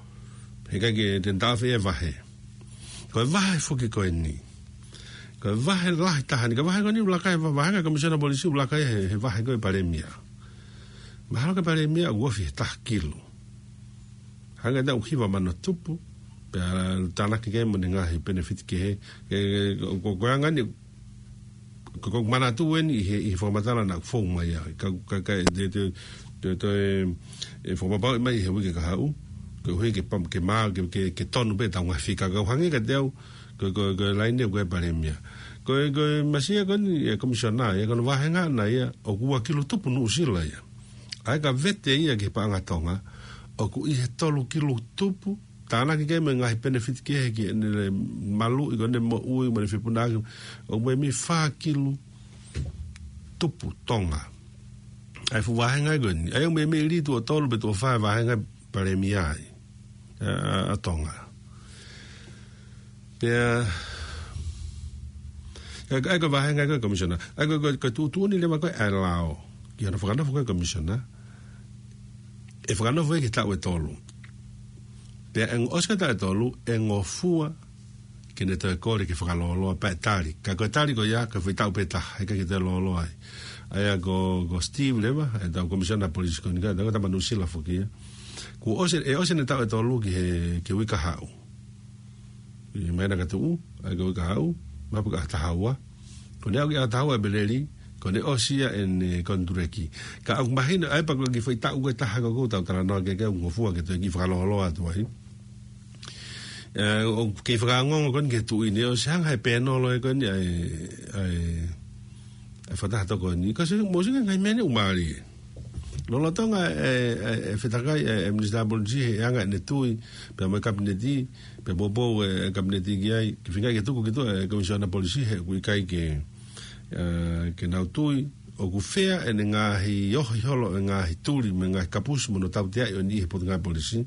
heʻikai ke te ne taʻofi e vahe. Ko e vahe foki ko eni. Ko e vahe lahi taha ni, ko e vahe ko eni ʻoku laka ai, va-, vahenga e komisiona polisi ʻoku laka ai he, he vahe ko ē ʻa e palēmia. Mahalo ko e palēmia ʻoku ofi he taha kilu. Hangē ʻoku hiva mano tupu, pea tānaki ki ai mo ʻene ngaahi penefiti kehe, ē, ko, ko, ko e anga eni, ko, ko e manatu eni ʻi he, ʻi he fakamatala naʻe fou mai ai. Ka, ka, ka, te, te, te, te, ē, ʻe fakapapauʻi mai he uike kahaʻu, koeʻuhi ke pam-, ke mā, ke, ke, ke tonu pē ʻetau ngaahi fika, ka ʻoku hangē kiate au, ko, ko, ko e laine ko ē ʻa e palēmia. Ko e, ko e masiʻi ko eni e komisiona, ʻa ia ko hono vahenga ʻana ia, ʻoku ua kilu tupu Nuʻusila ia. ʻA ia ka vete ia ki he paʻanga Tonga, ʻoku ʻi he tolu kilu tupu, tānaki ki ai mo e ngaahi penefiti kehe ki heʻene maluʻi ko ē ʻene moʻui, mo ʻene fepuna ʻaki, ʻoku meimei fā kilu tupu Tonga. ʻA e fuʻu vahenga ko eni, ʻa ia ʻoku meimei lī tuʻo tolu pe tuʻo fā e vahenga palēmia ai, ʻa, ʻa, ʻa Tonga. Pea, ʻa ia, ʻa ia ko e vahenga ko ē ʻa e komisiona. ʻA ia ko e, ko e, ko e tuʻutuʻuni leva ko ē ʻa e lao ki hono fakanofo ko ē ʻa e komisiona. ʻE fakanofo ia ki he taʻu ʻe tolu. Pea ʻe ʻosi ko ē e taʻu ʻe tolu, ʻe ngofua ke ne toe kole ke fakalōloa pea ʻe tali. Ka ko e tali ko ia, ko e foʻi taʻu pē taha, heʻikai ke toe lōloa ai. ʻA ia ko, ko Steve leva, ʻetau komisiona polisi ko eni ka, ʻetau tama Nuʻusila foki ia. Kuo ʻosi, ʻe ʻosi ʻene taʻu ʻe tolu ki he, ki he uike kahaʻu. ʻI māhina ka tuʻu, ʻa ia ko e uike kahaʻu, mapu ki he ʻaho taha ua. Ko ʻene aʻu ki he ʻaho taha ua ʻEpeleli, ko ʻene ʻosi ia ʻene konituleki. Ka ʻoku mahino, ʻa ia pea ko e kiʻi foʻi taʻu ko ē ʻe taha ko ē ʻoku tau talanoa ki ai, ʻoku ngofua ke toe kiʻi fakalōloa atu ai. Ē, ʻoku kei fakaongoongo ko eni ki he tuʻi ni, ʻosi hanga ʻe he pēnolo ē ko eni ʻa e, ʻa e, e fakataha tokoni. Ka se, mo se ngaahi meʻa ʻoku mālie. Lolotonga e, e, e fetakai e, e Minisitā Polisi he anga ʻene tui, pea mo e Kapineti, pea poupou e, e Kapineti ki ai, ke feinga ke tuku ki tuʻa e Komisiona Polisi he ʻoku ʻikai ke, e, ke nau tui, ʻoku fea ʻene ngaahi ohi holo e ngaahi tuli, mo e ngaahi kapusi, mo hono tauteaʻi ʻo eni ʻi he Potungāue Polisi.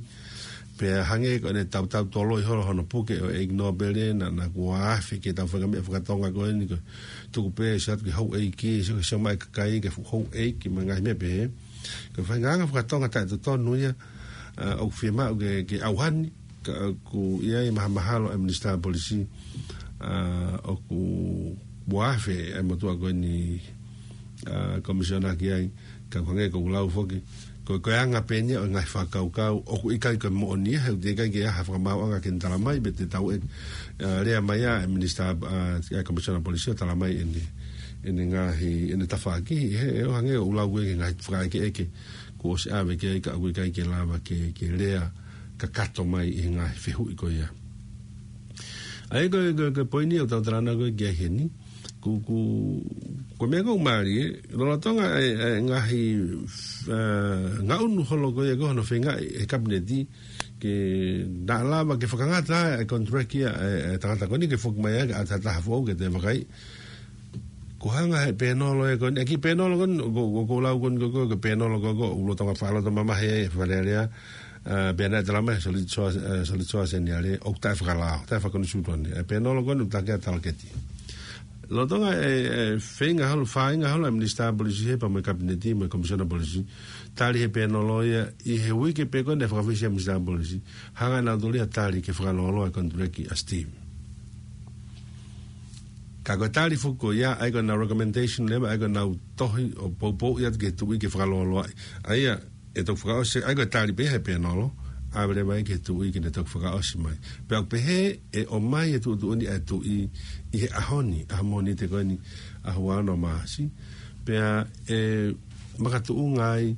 Pea hangē ko ʻene tautau toloi holo hono puke ʻo e ʻEiki Nōpele, naʻa, naʻa kuo afe ke tau feinga meʻa fakatonga ko eni ko e tuku pē ʻe siʻi atu ki he houʻeiki, ʻe siʻi, ʻe siʻi mai kakai ki he fu-, houʻeiki mo e ngaahi meʻa pehē. Ko e feinga anga fakatonga taʻetotonu ia, a, ʻoku fiemaʻu ke, ke ʻauhani, ka ʻoku ʻi ai e mahamahalo e Minisitā Polisi, a, ʻoku ua afe e motuʻa ko eni, a, Komisiona ki ai, ka ʻoku hangē ko ʻeku lau foki. Ko, ko e anga pē eni ia ʻo e ngaahi fakakaukau, ʻoku ʻikai ko e moʻoni ia, he ʻoku teʻeki ai ke ʻi ai ha fakamaauʻanga ke ne tala mai, pe te tau ʻe, a, lea mai ʻa e Minisitā, a, e Komisiona Polisi ʻo tala mai ʻene, ʻene ngaahi, ʻene tafaʻaki, he, he ʻoku hangē ʻoku lau ko ē ki he ngaahi fakaʻekeʻeke, kuo ʻosi ʻave ki ai ka ʻoku ʻikai ke lava ke, ke lea kakato mai ʻi he ngaahi fehuʻi ko ia. ʻA ia ko e, ko e, ko e poini ʻoku tau talanoa ko ē ki ai heni, ko, ko, ko e meʻa ʻoku mālie, lolotonga e, e ngaahi, e, ngaʻunu holo ko ia ko hono feingaʻi e Kapineti, ke naʻa lava ke fakangata e contract ia e, e tangata ko eni ke foki mai ai ʻa e taha foʻou ke toe vakai. Ko e anga he pēnolo ē ko eni, ʻa e kiʻi pēnolo ko eni, ko, ko, ko e lau ko eni ko, ko, ko e pēnolo ko, ko, ʻoku lolotonga fakalotomamahi e Fale Alea, a, pea naʻe tala mai, Solitsoa, a, Solitsoa Seniale, ʻoku taʻefakalao, taʻefakakonisitūtone. E pēnolo ko eni, ʻoku takia talaketi. Lolotonga e, e, feinga holo, fāinga holo e Minisitā Polisi he pea mo e Kapineti, mo e Komisiona Polisi, tali he pēnolo ia, ʻi he uike pē ko ē naʻe fakafisi ai e Minisitā Polisi, hanga ʻe nautolu ia ʻo tali ke fakalōloa e contract ʻa Steve. Ka ko e tali foki ko ia, ʻa ia ko ʻenau recommendation leva, ʻa ia ko ʻenau tohi ʻo poupouʻi atu ki he tuʻi ke fakalōloaʻi. ʻA ia, ʻe toki fakaʻosi, ʻa ia ko e tali pē he pēnolo, ʻave leva ia ki he tuʻi ke ne toki fakaʻosi mai. Pea ʻoku pehē ʻe ʻomai e tuʻutuʻuni ʻa e tuʻi ʻi he ʻaho ni, ʻaho Mōnite ko eni, ʻaho ua ono Māʻasi. Pea ʻe makatuʻunga ai,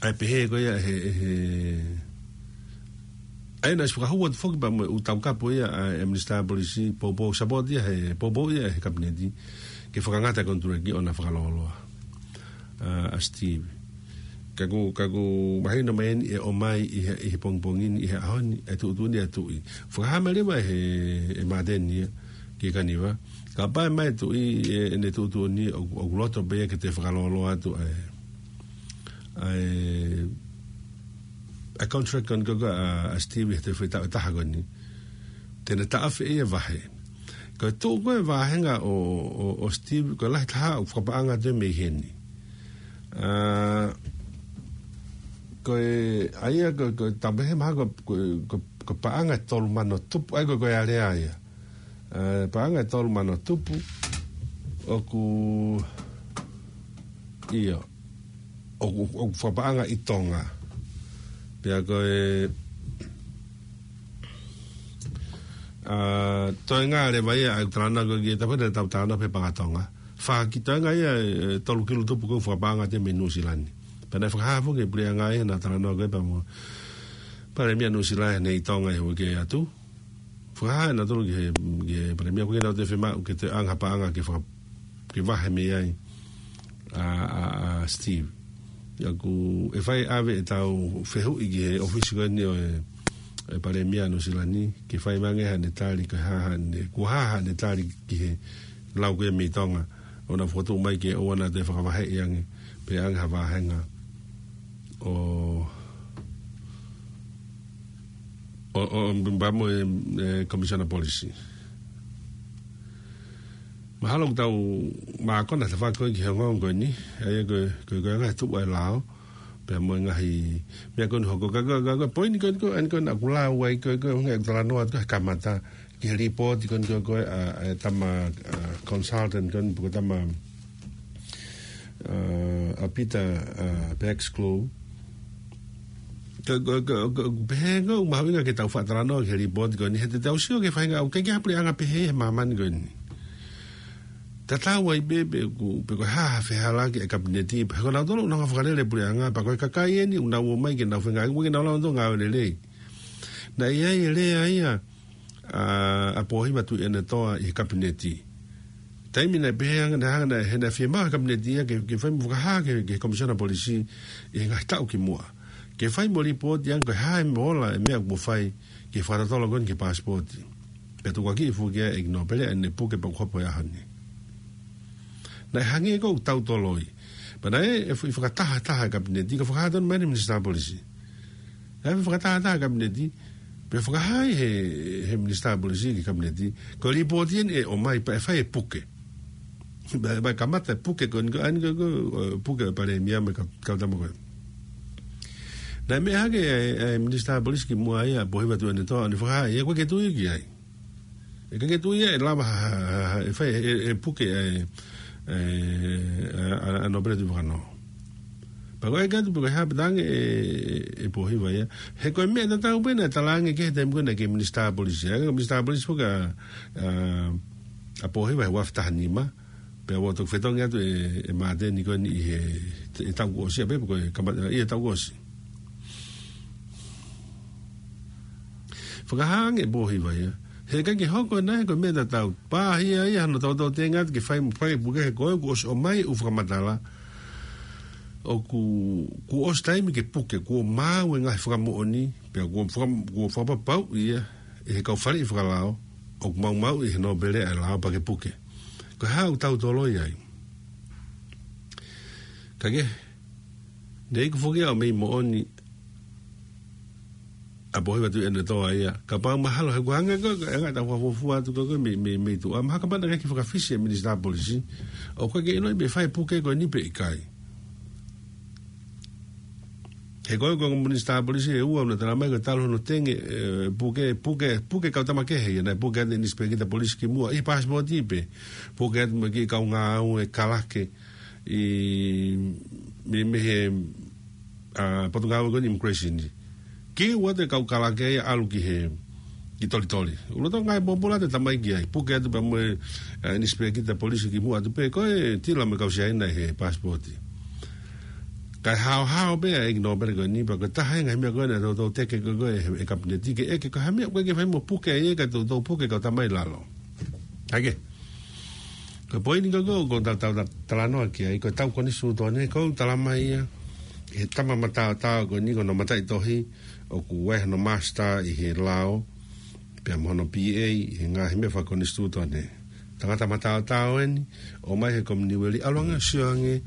ʻa e pehē ko ia he, he, ʻa ia naʻe ʻosi fakahū atu foki pea mo e ʻū taukapo ia ʻa e Minisitā Polisi, poupou, support ia he, poupou ia he Kapineti, ke fakangata e contract ʻo na fakalōloa, a, ʻa Steve. Ka ʻoku, ka ʻoku mahino mai eni ʻe ʻomai ʻi he, ʻi he pongipongi ni, ʻi he ʻaho ni, e tuʻutuʻuni ʻa e tuʻi. Fakahā mai leva he, ʻe Māteni ia, ki he Kaniva. Kapau ʻe ʻomai e tuʻi, e, ʻene tuʻutuʻuni, ʻoku, ʻoku loto pē ia ke toe fakalōloa atu ʻa e, ʻa e, ʻa e contract ko eni ko, ko, ʻa, ʻa Steve he toe foʻi taʻu ʻe taha ko eni. Te ne taʻofi ia e vahe. Ko e tuʻu ko ē e vāhenga ʻo, ʻo, ʻo Steve, ko e lahi taha ʻoku fakapaʻanga atu mei heni. A, ko e, ʻa ia ko, ko e tapehe maha ko, ko, ko, ko e paʻanga ʻe tolu mano tupu, ʻa ia ko, ko e alea ia. A, paʻanga ʻe tolu mano tupu, ʻoku, ʻio, ʻoku, ʻoku fakapaʻanga ʻi Tonga. Pea ko e, a, toenga leva ia, ʻa e talanoa ko ē ki he tapu ʻe taha ʻoku talanoa pē paʻanga Tonga. Fā ki toenga ia, e, tolu kilu tupu ko ē ʻoku fakapaʻanga atu mei Nuʻusila ni. Pea naʻe fakahā foki ʻe he puleʻanga ia ʻena talanoa ko ē pea mo e Palēmia Nuʻusila ni ʻi Tonga he uike atu. Fakahā ʻe nautolu ki he, ki he Palēmia ko ē ʻoku nau toe fiemaʻu ke toe ʻoange ha paʻanga ke faka-, ke vahe mei ai ʻa, ʻa, ʻa Steve. ʻA ia ʻoku, ʻe fai ʻave ʻetau fehuʻi ki he ʻōfisi ko eni ʻo e, e Palēmia Nuʻusila ni, ke fai mai ange haʻane tali, ko e hā haʻane, ko e hā haʻane tali ki he lau ko ē mei Tonga, ʻo na fokotuʻu mai ke ʻoua naʻa toe fakavaheʻi ange, pe ʻoange ha vāhenga ʻo, ʻo, ʻo, pea mo e, e, Komisiona Polisi. Mahalo ʻoku tau mākona tafaʻaki ko ē ki he ongoongo ko eni, ʻa ia ko, ko, ko e ngaahi tuʻu ʻa e lao, pea mo e ngaahi meʻa ko eni ʻoku hoko, ka, ka, ka, ka poini ko eni ko, eni ko eni ʻoku lau ai ko, ko, ʻoku talanoa atu ko ē he kamata, ki he lipooti ko eni ko, ko, ʻa, ʻa e tama, ʻa, consultant ko eni, pe ko e tama, ʻa, ʻa Peter, ʻa, Baxclaw. Ka, ka, ka, ka, pehē ʻoku mahuʻinga ke tau faʻa talanoa ki he lipooti ko eni, he te tau sio ki he faʻahinga ʻoku ʻikai ke ʻi ai ha puleʻanga pehē he māmani ko eni. Tatau ai pē, pe ko, pe ko e hā ha fehālaaki ʻa e Kapineti, pe ko nautolu ʻoku nau hanga ʻo fakalele e puleʻanga, pea ko e kakai eni ʻoku nau ō mai ke nau feinga, ʻoku ʻikai ke nau lava ʻo ngāue lelei. Naʻe ʻi ai e lea ia ʻa, ʻa Pōhiva Tuʻiʻonetoa ʻi he Kapineti. Taimi naʻe pehē ange, naʻe hanga, naʻe, he naʻe fiemaʻu he Kapineti ia ke, ke fai mo fakahā ki he, ki he Komisiona Polisi ʻi he ngaahi taʻu ki muʻa, ke fai mo lipooti ange ko e hā e meʻa ola e meʻa kuo fai ki he fakatotolo ko eni ki he paasipooti. Pea tukuakiʻi foki ʻe he ʻEiki Nōpele ʻa ʻene puke pea kuo hopo he ʻaho ni. Naʻe hangē ʻoku tau toloi. Pea naʻe, ʻe fu-, ʻi fakatahataha e Kapineti, ka fakahā tonu mai ʻe he Minisitā Polisi. Naʻe ʻi fakatahataha e Kapineti, pea fakahā ʻe he, he Minisitā Polisi ki he Kapineti, ko e lipooti eni ʻe ʻomai pea ʻe fai e puke. Pea, pea kamata e puke ko eni ko, ʻa eni ko, ko, ʻo, puke ʻa e Palēmia mo e kau, kau tama ko ē. Naʻe meʻa hake ʻa e, ʻa e Minisitā Polisi ki muʻa ia, Pōhiva Tuʻiʻonetoa, ʻo ne fakahā, ʻe ʻikai ke tui ki ai. ʻE ʻikai ke tui ia ʻe lava ha, ha, ha, ha, ʻe fai, ʻe, ʻe puke, ʻe, ʻe, ʻa, ʻa, ʻa Nōpele Tuʻivakanō. Pea ko e ʻeke atu pe ko e hā pē tangi ʻe, ʻe Pōhiva ia. He ko e meʻa tatau pē naʻe talaange ki he taimi ko ē naʻe kei Minisitā Polisi. ʻA e Minisitā Polisi foki ʻa, ʻa, ʻa Pōhiva he ua afe taha nima. Pea ʻoku toki fetongi atu ʻe, ʻe Māteni ko eni ʻi he, ʻi he taʻu kuo ʻosi ia pē, ko e kama-, ʻi he taʻu kuo ʻosi. Fakahā ange ʻe Pōhiva ia. He ʻikai ke hoko ʻe naʻe ko e meʻa tatau. Pāhia ia hano tautau tenga atu ke fai mo fai puke he ko ē kuo ʻosi ʻomai ʻū fakamatala. ʻOku, kuo ʻosi taimi ke puke, kuo maau e ngaahi fakamoʻoni, pea kuo faka-, kuo fakapapauʻi ia ʻe he kau faleʻi fakalao, ʻoku maumauʻi ʻe he Nōpele ʻa e lao pea ke puke. Ko e hā ʻoku tau toloi ai. Ka ke, ne iku foki ʻo mei moʻoni ʻa Pōhiva Tuʻiʻonetoa ia. Kapau mahalo he kuo hangē ko e, ko e anga ʻetau fakafuofua atu ko e, ko e mei, mei, mei tuʻa. Mahalo kapau naʻe ʻikai ke fakafisi e Minisitā Polisi, ʻoku ʻikai ke ʻiloʻi pe fai puke ko eni pe ʻikai. He ko e, ko e Minisitā Polisi ʻe ua naʻe talamai ko e talu hono tenga, ʻe, puke, puke, puke kau tama kehe ia, naʻe puke atu e Inisipekita Polisi ki muʻa, ʻi he paasipooti pē, puke atu mo e kiʻi kau ngāue kalake, ʻi, mei, mei he, ʻa, Potungāue ko eni Immigration. Kei ʻoatu e kau kalake ia ʻalu ki he, ki Tolitoli. ʻUluaki ngaahi pōpula te tamai ki ai. Puke atu pea mo e, ʻa, Inisipekita Polisi ki muʻa atu pē ko e tila mo e kau Siaina he paasipooti. Kae haohao pē ʻa e ʻEiki Nōpele ko eni pea ko e taha e ngaahi meʻa ko ē naʻe toutou teke ko ē, ko ē ʻe he, ʻe he Kapineti ke ʻeke ko e hā e meʻa ʻoku ʻikai ke fai mo puke ai ka toutou puke kau tama ʻi lalo. Hake. Ko e poini ko ē ʻoku ou tau, tau, tau talanoa ki ai, ko e tau konisitūtone, ʻoku talamai ia ʻe he tama mataotao ko eni ko hono mataʻitohi, ʻoku ʻi ai hono master ʻi he lao, pea mo hono P A ʻi he ngaahi meʻa fakakonisitūtone. Tangata mataotao eni, ʻomai he Kominiueli, ʻalu ange ʻo sio ange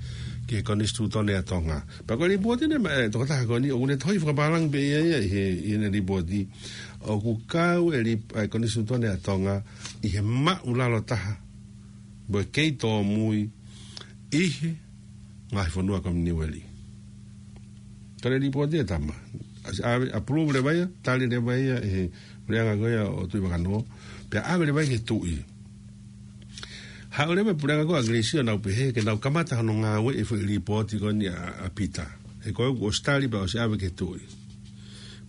ki he konisitūtone ʻa Tonga. Pea ko e lipooti eni ʻa e, ʻa e tokotaha ko eni, ʻoku ne tohi fakapālangi pē ia ia ʻi he, ʻi heʻene lipooti, ʻoku kau e lip-, ʻa e konisitūtone ʻa Tonga ʻi he maʻulalo taha mo e kei tōmui ʻi he ngaahi fonua Kominiueli. Ko e lipooti ʻa e tama. ʻAsi ʻave, approve leva ia, tali leva ia ʻe he puleʻanga ko ia ʻo Tuʻivakanō, pea ʻave leva ia ki he tuʻi. Haʻu leva e puleʻanga ko ia ʻAngilisī ʻo nau pehē ke nau kamata hono ngāueʻi e foʻi lipooti ko eni ʻa, ʻa Pita. He ko ē kuo ʻosi tali pea ʻosi ʻave ki he tuʻi.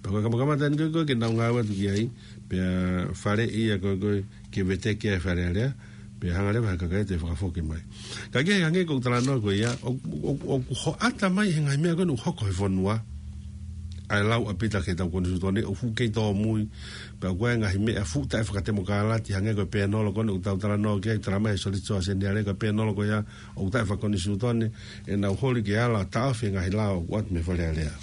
Pea ko e kamakamata eni ko ē, ko ē ke nau ngāue atu ki ai, pea faleʻi ia ko ē, ko ē ke veteki ʻa e Fale Alea, pea hanga leva ʻe he kakai ʻo toe fakafoki mai. Ka ke hangē ko e talanoa ko ia, ʻo, ʻo, ʻoku hoʻata mai he ngaahi meʻa ko ē ʻoku hoko he fonua, ʻa e lau ʻa Pita ki he tau konisitūtone, ʻoku fuʻu kei tōmui, pea ʻoku ʻi ai e ngaahi meʻa fuʻu taʻefakatemokālati, hangē ko e pēnolo ko eni ʻoku tau talanoa ki ai, talamai ʻe he Solicitor General ko e pēnolo ko ia, ʻoku taʻefakakonisitūtone, ʻenau holi ke ala ʻo taʻofi e ngaahi lao ʻoku ʻoatu mei he Fale Alea.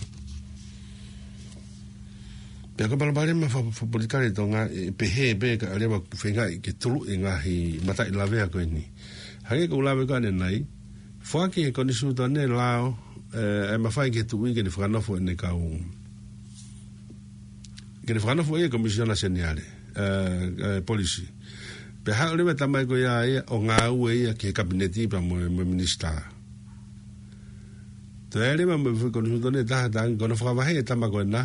Pea ko e palopalema fa-, fakapolitikale ʻi Tonga, ʻe pehē pē ka ʻalu leva ʻo feingaʻi ke tuluʻi e ngaahi mataʻi lavea ko eni. Hangē ko ʻeku lave ko ē ʻanenai, foaki ʻe he konisitūtone lao, ʻe, ʻe mafai ki he tuʻi ke ne fakanofo ʻene kau, ke ne fakanofo ʻe ia e Komisiona Seniale, ʻe, ʻe, Polisi. Pea haʻu leva e tama ko ia ia ʻo ngāue ia ki he Kapineti pea mo, mo e Minisitā. Toe ʻai leva mo e foʻi konisitūtone ʻe taha, talaange ko hono fakavaheʻi e tama ko ena,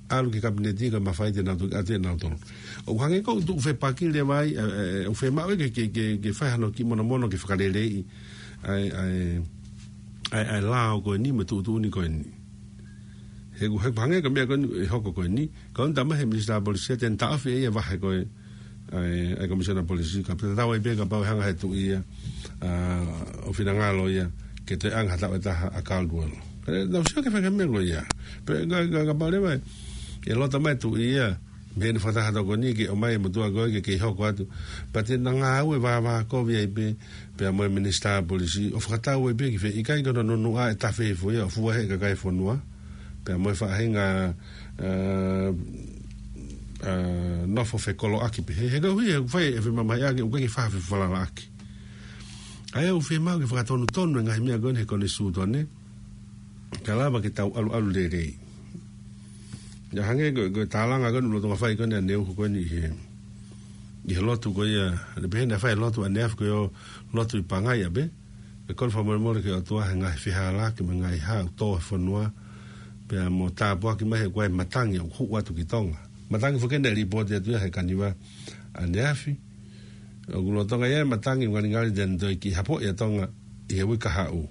ʻalu ki he Kapineti ka mafai te nau toki ʻatu ʻe nautolu. ʻOku hangē ko e tuʻu fepaki leva ai, ʻe, ʻe, ʻe, ʻoku fiemaʻu ke, ke, ke, ke fai hano kiʻi monomono ke fakaleleiʻi ʻa e, ʻa e, ʻa e, ʻa e lao ko eni mo e tuʻutuʻuni ko eni. He ʻoku, he ʻoku hangē ko e meʻa ko eni ʻe hoko ko eni, ko eni talamai ʻe he Minisitā Polisi te ne taʻofi ʻe ia e vahe ko ē ʻa e, ʻa e Komisiona Polisi, ka pea tatau ai pē kapau ʻe hanga ʻe he tuʻi ia, ʻa, ʻo finangalo ia ke toe ʻange ha taʻu ʻe taha ʻa Caldwell. Ka ʻe, naʻa ku sio ki he faʻahinga meʻa ko ia. Pea ka, ka, kapau leva ʻe, ʻe loto mai e tuʻi ia, Mei heʻene fakataha tokoni ke ʻomai e motuʻa ko ē ke kei hoko atu. Pea te na ngāue vāvākovi ai pē, pea mo e minisitā polisi, ʻo fakatau ai pē ki fē, ʻikai ko hono nunuʻa e tafe hifo ia, ʻo fua he kakai e fonua. Pea mo e faʻahinga, ā, ā, nofo fekoloʻaki pē. He, he koeʻuhi, he ʻoku fai e femamahiʻaki, ʻoku ʻikai ke fai ha fefalalaʻaki. ʻA ia ʻoku fiemaʻu ke fakatonutonu e ngaahi meʻa ko eni he konisitūtone. Ka lava ke tau ʻaluʻalu lelei. ʻIo hangē ko, ko e tālanga ko eni ʻoku lolotonga fai ko eni ʻa Neu ko eni ʻi he, ʻi he lotu ko ia, ʻene pehē naʻe fai e lotu ʻaneafi ko e ʻū lotu ʻi Pangai ʻapē. ʻE kole fakamolemole ki he ʻOtua he ngaahi fehālaaki mo e ngaahi hā ʻoku tō he fonua. Pea mo tāpuaki mai he ʻoku ʻi ai e matangi ʻoku hū atu ki Tonga. Matangi foki eni naʻe lipooti atu ia he Kaniva ʻaneafi. ʻOku lolotonga ia e matangi ngalingali te ne toe kiʻi hapoʻi ʻa Tonga ʻi he uike kahaʻu.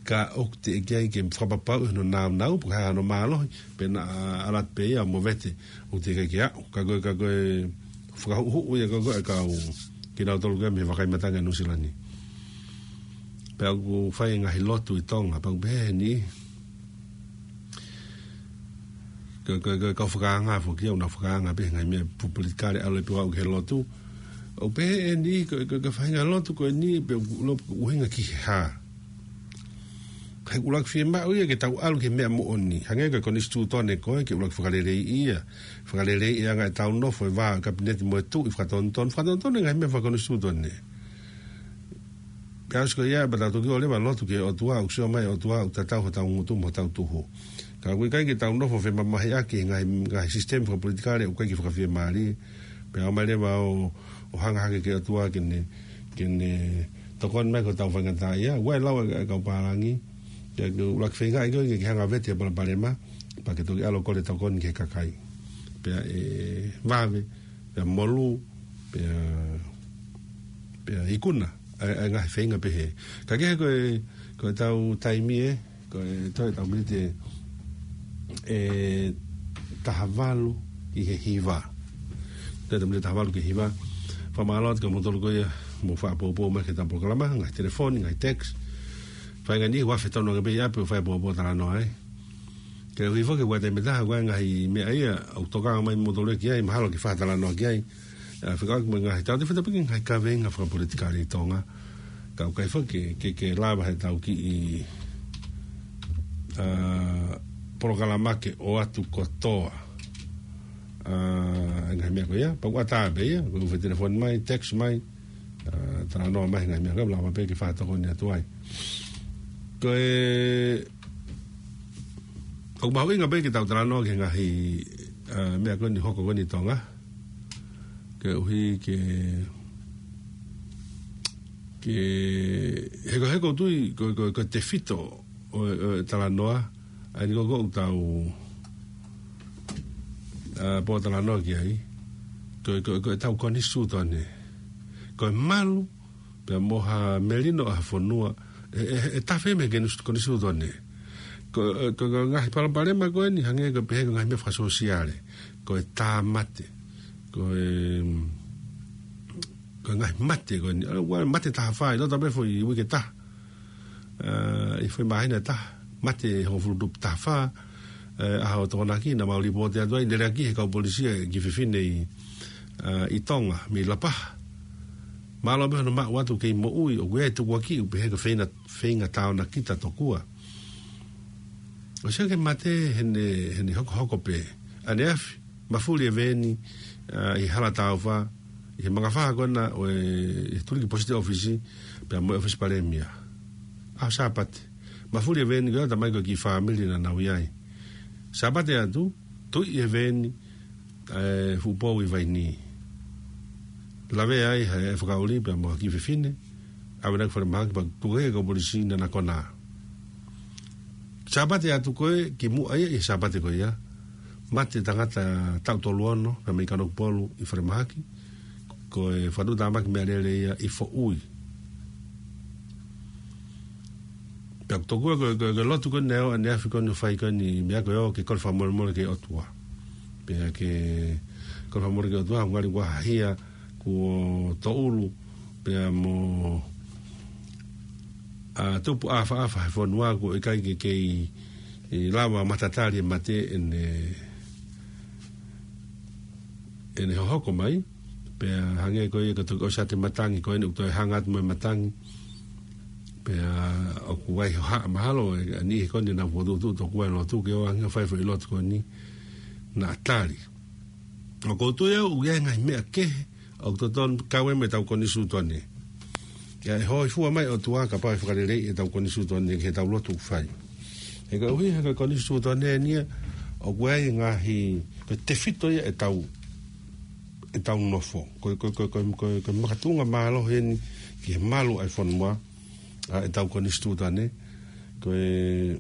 Ka ʻoku teʻeki ai ke fakapapauʻi hono nāunau, pe ko e hā hono mālohi, pea naʻa alert pē ia mo vete, ʻoku teʻeki ai ke aʻu. Ka ko e, ka ko e fakahuʻuhuʻu ia ko ē ʻa e kau, kinautolu ko ē mei he vakai matangi ʻa Nuʻusila ni. Pea ʻoku fai e ngaahi lotu ʻi Tonga, pea ʻoku pehē ʻe he niʻihi. Ko, ko, ko, kau fakaanga foki ia, ʻoku nau fakaanga pē he ngaahi meʻa pu-, politikale ʻalu ai pē ʻo aʻu ki he lotu. ʻOku pehē ʻe he niʻihi, ko, ko, ko e faʻahinga lotu ko eni, pe ʻoku lo-, ʻuhinga ki he hā. He ʻoku ʻuluaki fiemaʻu ia ke tau ʻalu ki he meʻa moʻoni. Hangē ko e konisitūtone ko ē, ke ʻuluaki fakaleleiʻi ia. Fakaleleiʻi e anga ʻetau nofo, e vā, kapineti mo e tuʻi, fakatonutonu, fakatonutonu e ngaahi meʻa fakakonisitūtone. Pea ʻosi ko ia, pea tau toki ʻalu leva ʻo lotu ki he ʻOtua, ʻoku sio mai e ʻOtua, ʻoku tatau hotau ngutu mo hotau tuhu. Ka ʻoku ʻikai ke tau nofo femamahiʻaki he ngaahi, ngaahi sisitemi fakapolitikale, ʻoku ʻikai ke fakafiemālie. Pea ʻomai leva ʻo, ʻo hanga hake ki he ʻOtua ke ne, ke ne tokoni mai ki hotau faingataʻaʻia. ʻOua ʻe lau e, e kau pālangi. Pea ke ʻuluaki feingaʻi koe ke, ke hanga vete e palopalema. Pea ke toki ʻalu ʻo kole tokoni ki he kakai. Pea ʻe vave, pea molū, pea, pea ikuna, ʻa e, ʻa e ngaahi feinga pehē. Ka kehe ko e, ko ʻetau taimi ē, ko e toe ʻetau miniti ʻe taha valu ki he hiva. Toe ʻetau miniti ʻe taha valu ki he hiva. Fakamālō atu kia moutolu ko ia, mou fakapoupou mai ki heʻetau polokalama, ngaahi telefoni, ngaahi text. Fai ngaahi niʻihi ʻoku afe tonu ange pē ia pea fai poupou talanoa ai. Koeʻuhi foki ʻoku ʻi ai e taimi ʻe taha, ʻoku ʻi ai e ngaahi meʻa ia, ʻoku tokanga mai moutolu ki ai, mahalo ke fakatalanoa ki ai. ʻA, fekauʻaki mo e ngaahi, tau te feta piki ngaahi kaveinga fakapolitikale ʻi Tonga. Ka ʻoku ʻikai foki ke, ke, ke lava heʻetau kiʻi, ā, polokalama ke ʻoatu kotoa. Ā, e ngaahi meʻa ko ia, pea ʻoku ʻatā pē ia, ko e ʻoku fai telefoni mai, text mai, ā, talanoa mai he ngaahi meʻa ko ē, lava pē ke fakatokoni atu ai. Ko e, ʻoku mahuʻinga pē ke tau talanoa ki he ngaahi, ā, meʻa ko eni hoko ko eni ʻi Tonga. Koeʻuhi ke, ke, he ko, he ʻoku ou tui, ko, ko, ko e tefito ʻo, ʻo e talanoa, ʻa eni ko, ko ʻetau, ā, pōtalanoa ki ai, ko, ko, ko ʻetau konisitūtone. Ko e malu, pea mo ha melino ʻa ha fonua, ʻe, ʻe, ʻe tafe mei he konis-, konisitūtone. Ko, ko, ko e ngaahi palopalema ko eni, hangē ko e pehē ko e ngaahi meʻa fakasōsiale. Ko e tāmate. Ko e, ko e ngaahi mate ko eni. ʻA, ʻoua, mate taha fā, ʻi loto pē foʻi uike ʻe taha. Ā, ʻi he foʻi māhina ʻe taha, mate hongofulu tupu taha fā, ē, ʻaho Tokonaki, naʻa mau lipooti atu ai, lele ʻaki he kau polisi e kiʻi fefine ʻi, ā, ʻi Tonga, mei Lapaha. Mālō pē hono maʻu atu kei moʻui, ʻoku ʻi ai e tukuakiʻi, ʻoku pehē ko e feinga, feinga taonakita tokua. ʻOsi ia ke mate heʻene, heʻene hokohoko pē. ʻAneafi, mafuli e veeni, ā, ʻi Hala Taufa, ʻi he mangafaha ko ena ʻo e, ʻi he Tuliki Post Office, pea mo e ʻOfisi Palēmia. ʻAho Sāpate. Mafuli e veeni ko ia, talamai ko e kiʻi fāmili naʻa nau ʻi ai. Sāpate atu, tuiʻi e veeni, ē, fuʻu pou ʻi Vainī. Lavea ai ʻe he fakaʻuli pea mo ha kiʻi fefine, ʻave ʻo nofo ki falemahaki pea tuku hake ʻe he kau polisi naʻa na konā. Sāpate atu ko ē, kimuʻa ia ʻi he Sāpate ko ia, mate tangata taʻu tolu ono, pea mei Kanokupolu ʻi falemahaki, ko e fakatuʻutāmaki meʻalele ia ʻi Foʻui. Pea ʻoku tokua ko e, ko e, ko e lotu ko eni ʻaneafi ko eni ʻoku fai ko eni meʻa ko ē ʻo ke kole fakamolemole ki he ʻOtua. Pea ke kole fakamolemole ki he ʻOtua, ngali ʻoku ʻi ai ha hia kuo toʻulu, pea mo, ā, tupu ʻāfaʻafa he fonua ʻoku ʻikai ke kei, ē, lava matatali e mate ʻene, ʻene hohoko mai, pea hangē ko ia ka toki ʻosi ʻa e matangi, ko eni ʻoku toe hanga atu mo e matangi, pea ʻoku ʻi ai hoʻo haʻa mahalo, ʻe, ʻa e niʻihi ko eni naʻa nau fokotuʻutuʻu tokua e lotu ke ʻoange ʻo fai foʻi lotu ko eni naʻa tali. ʻOku ou tui au ʻoku ʻi ai e ngaahi meʻa kehe ʻoku totonu kau ai mo ʻetau konisitūtone. ʻIo, ʻe hōifua mai ʻOtua kapau ʻe fakaleleiʻi ʻetau konisitūtone ki heʻetau lotu ʻoku fai. He koeʻuhi he ko e konisitūtone eni ia ʻoku ʻi ai e ngaahi, ko e tefito ia ʻetau, ʻetau nofo. Ko e, ko e, ko e, ko e, ko e, ko e makatuʻunga mālohi eni ki he malu ʻa e fonua, ʻa ʻetau konisitūtone. Ko e,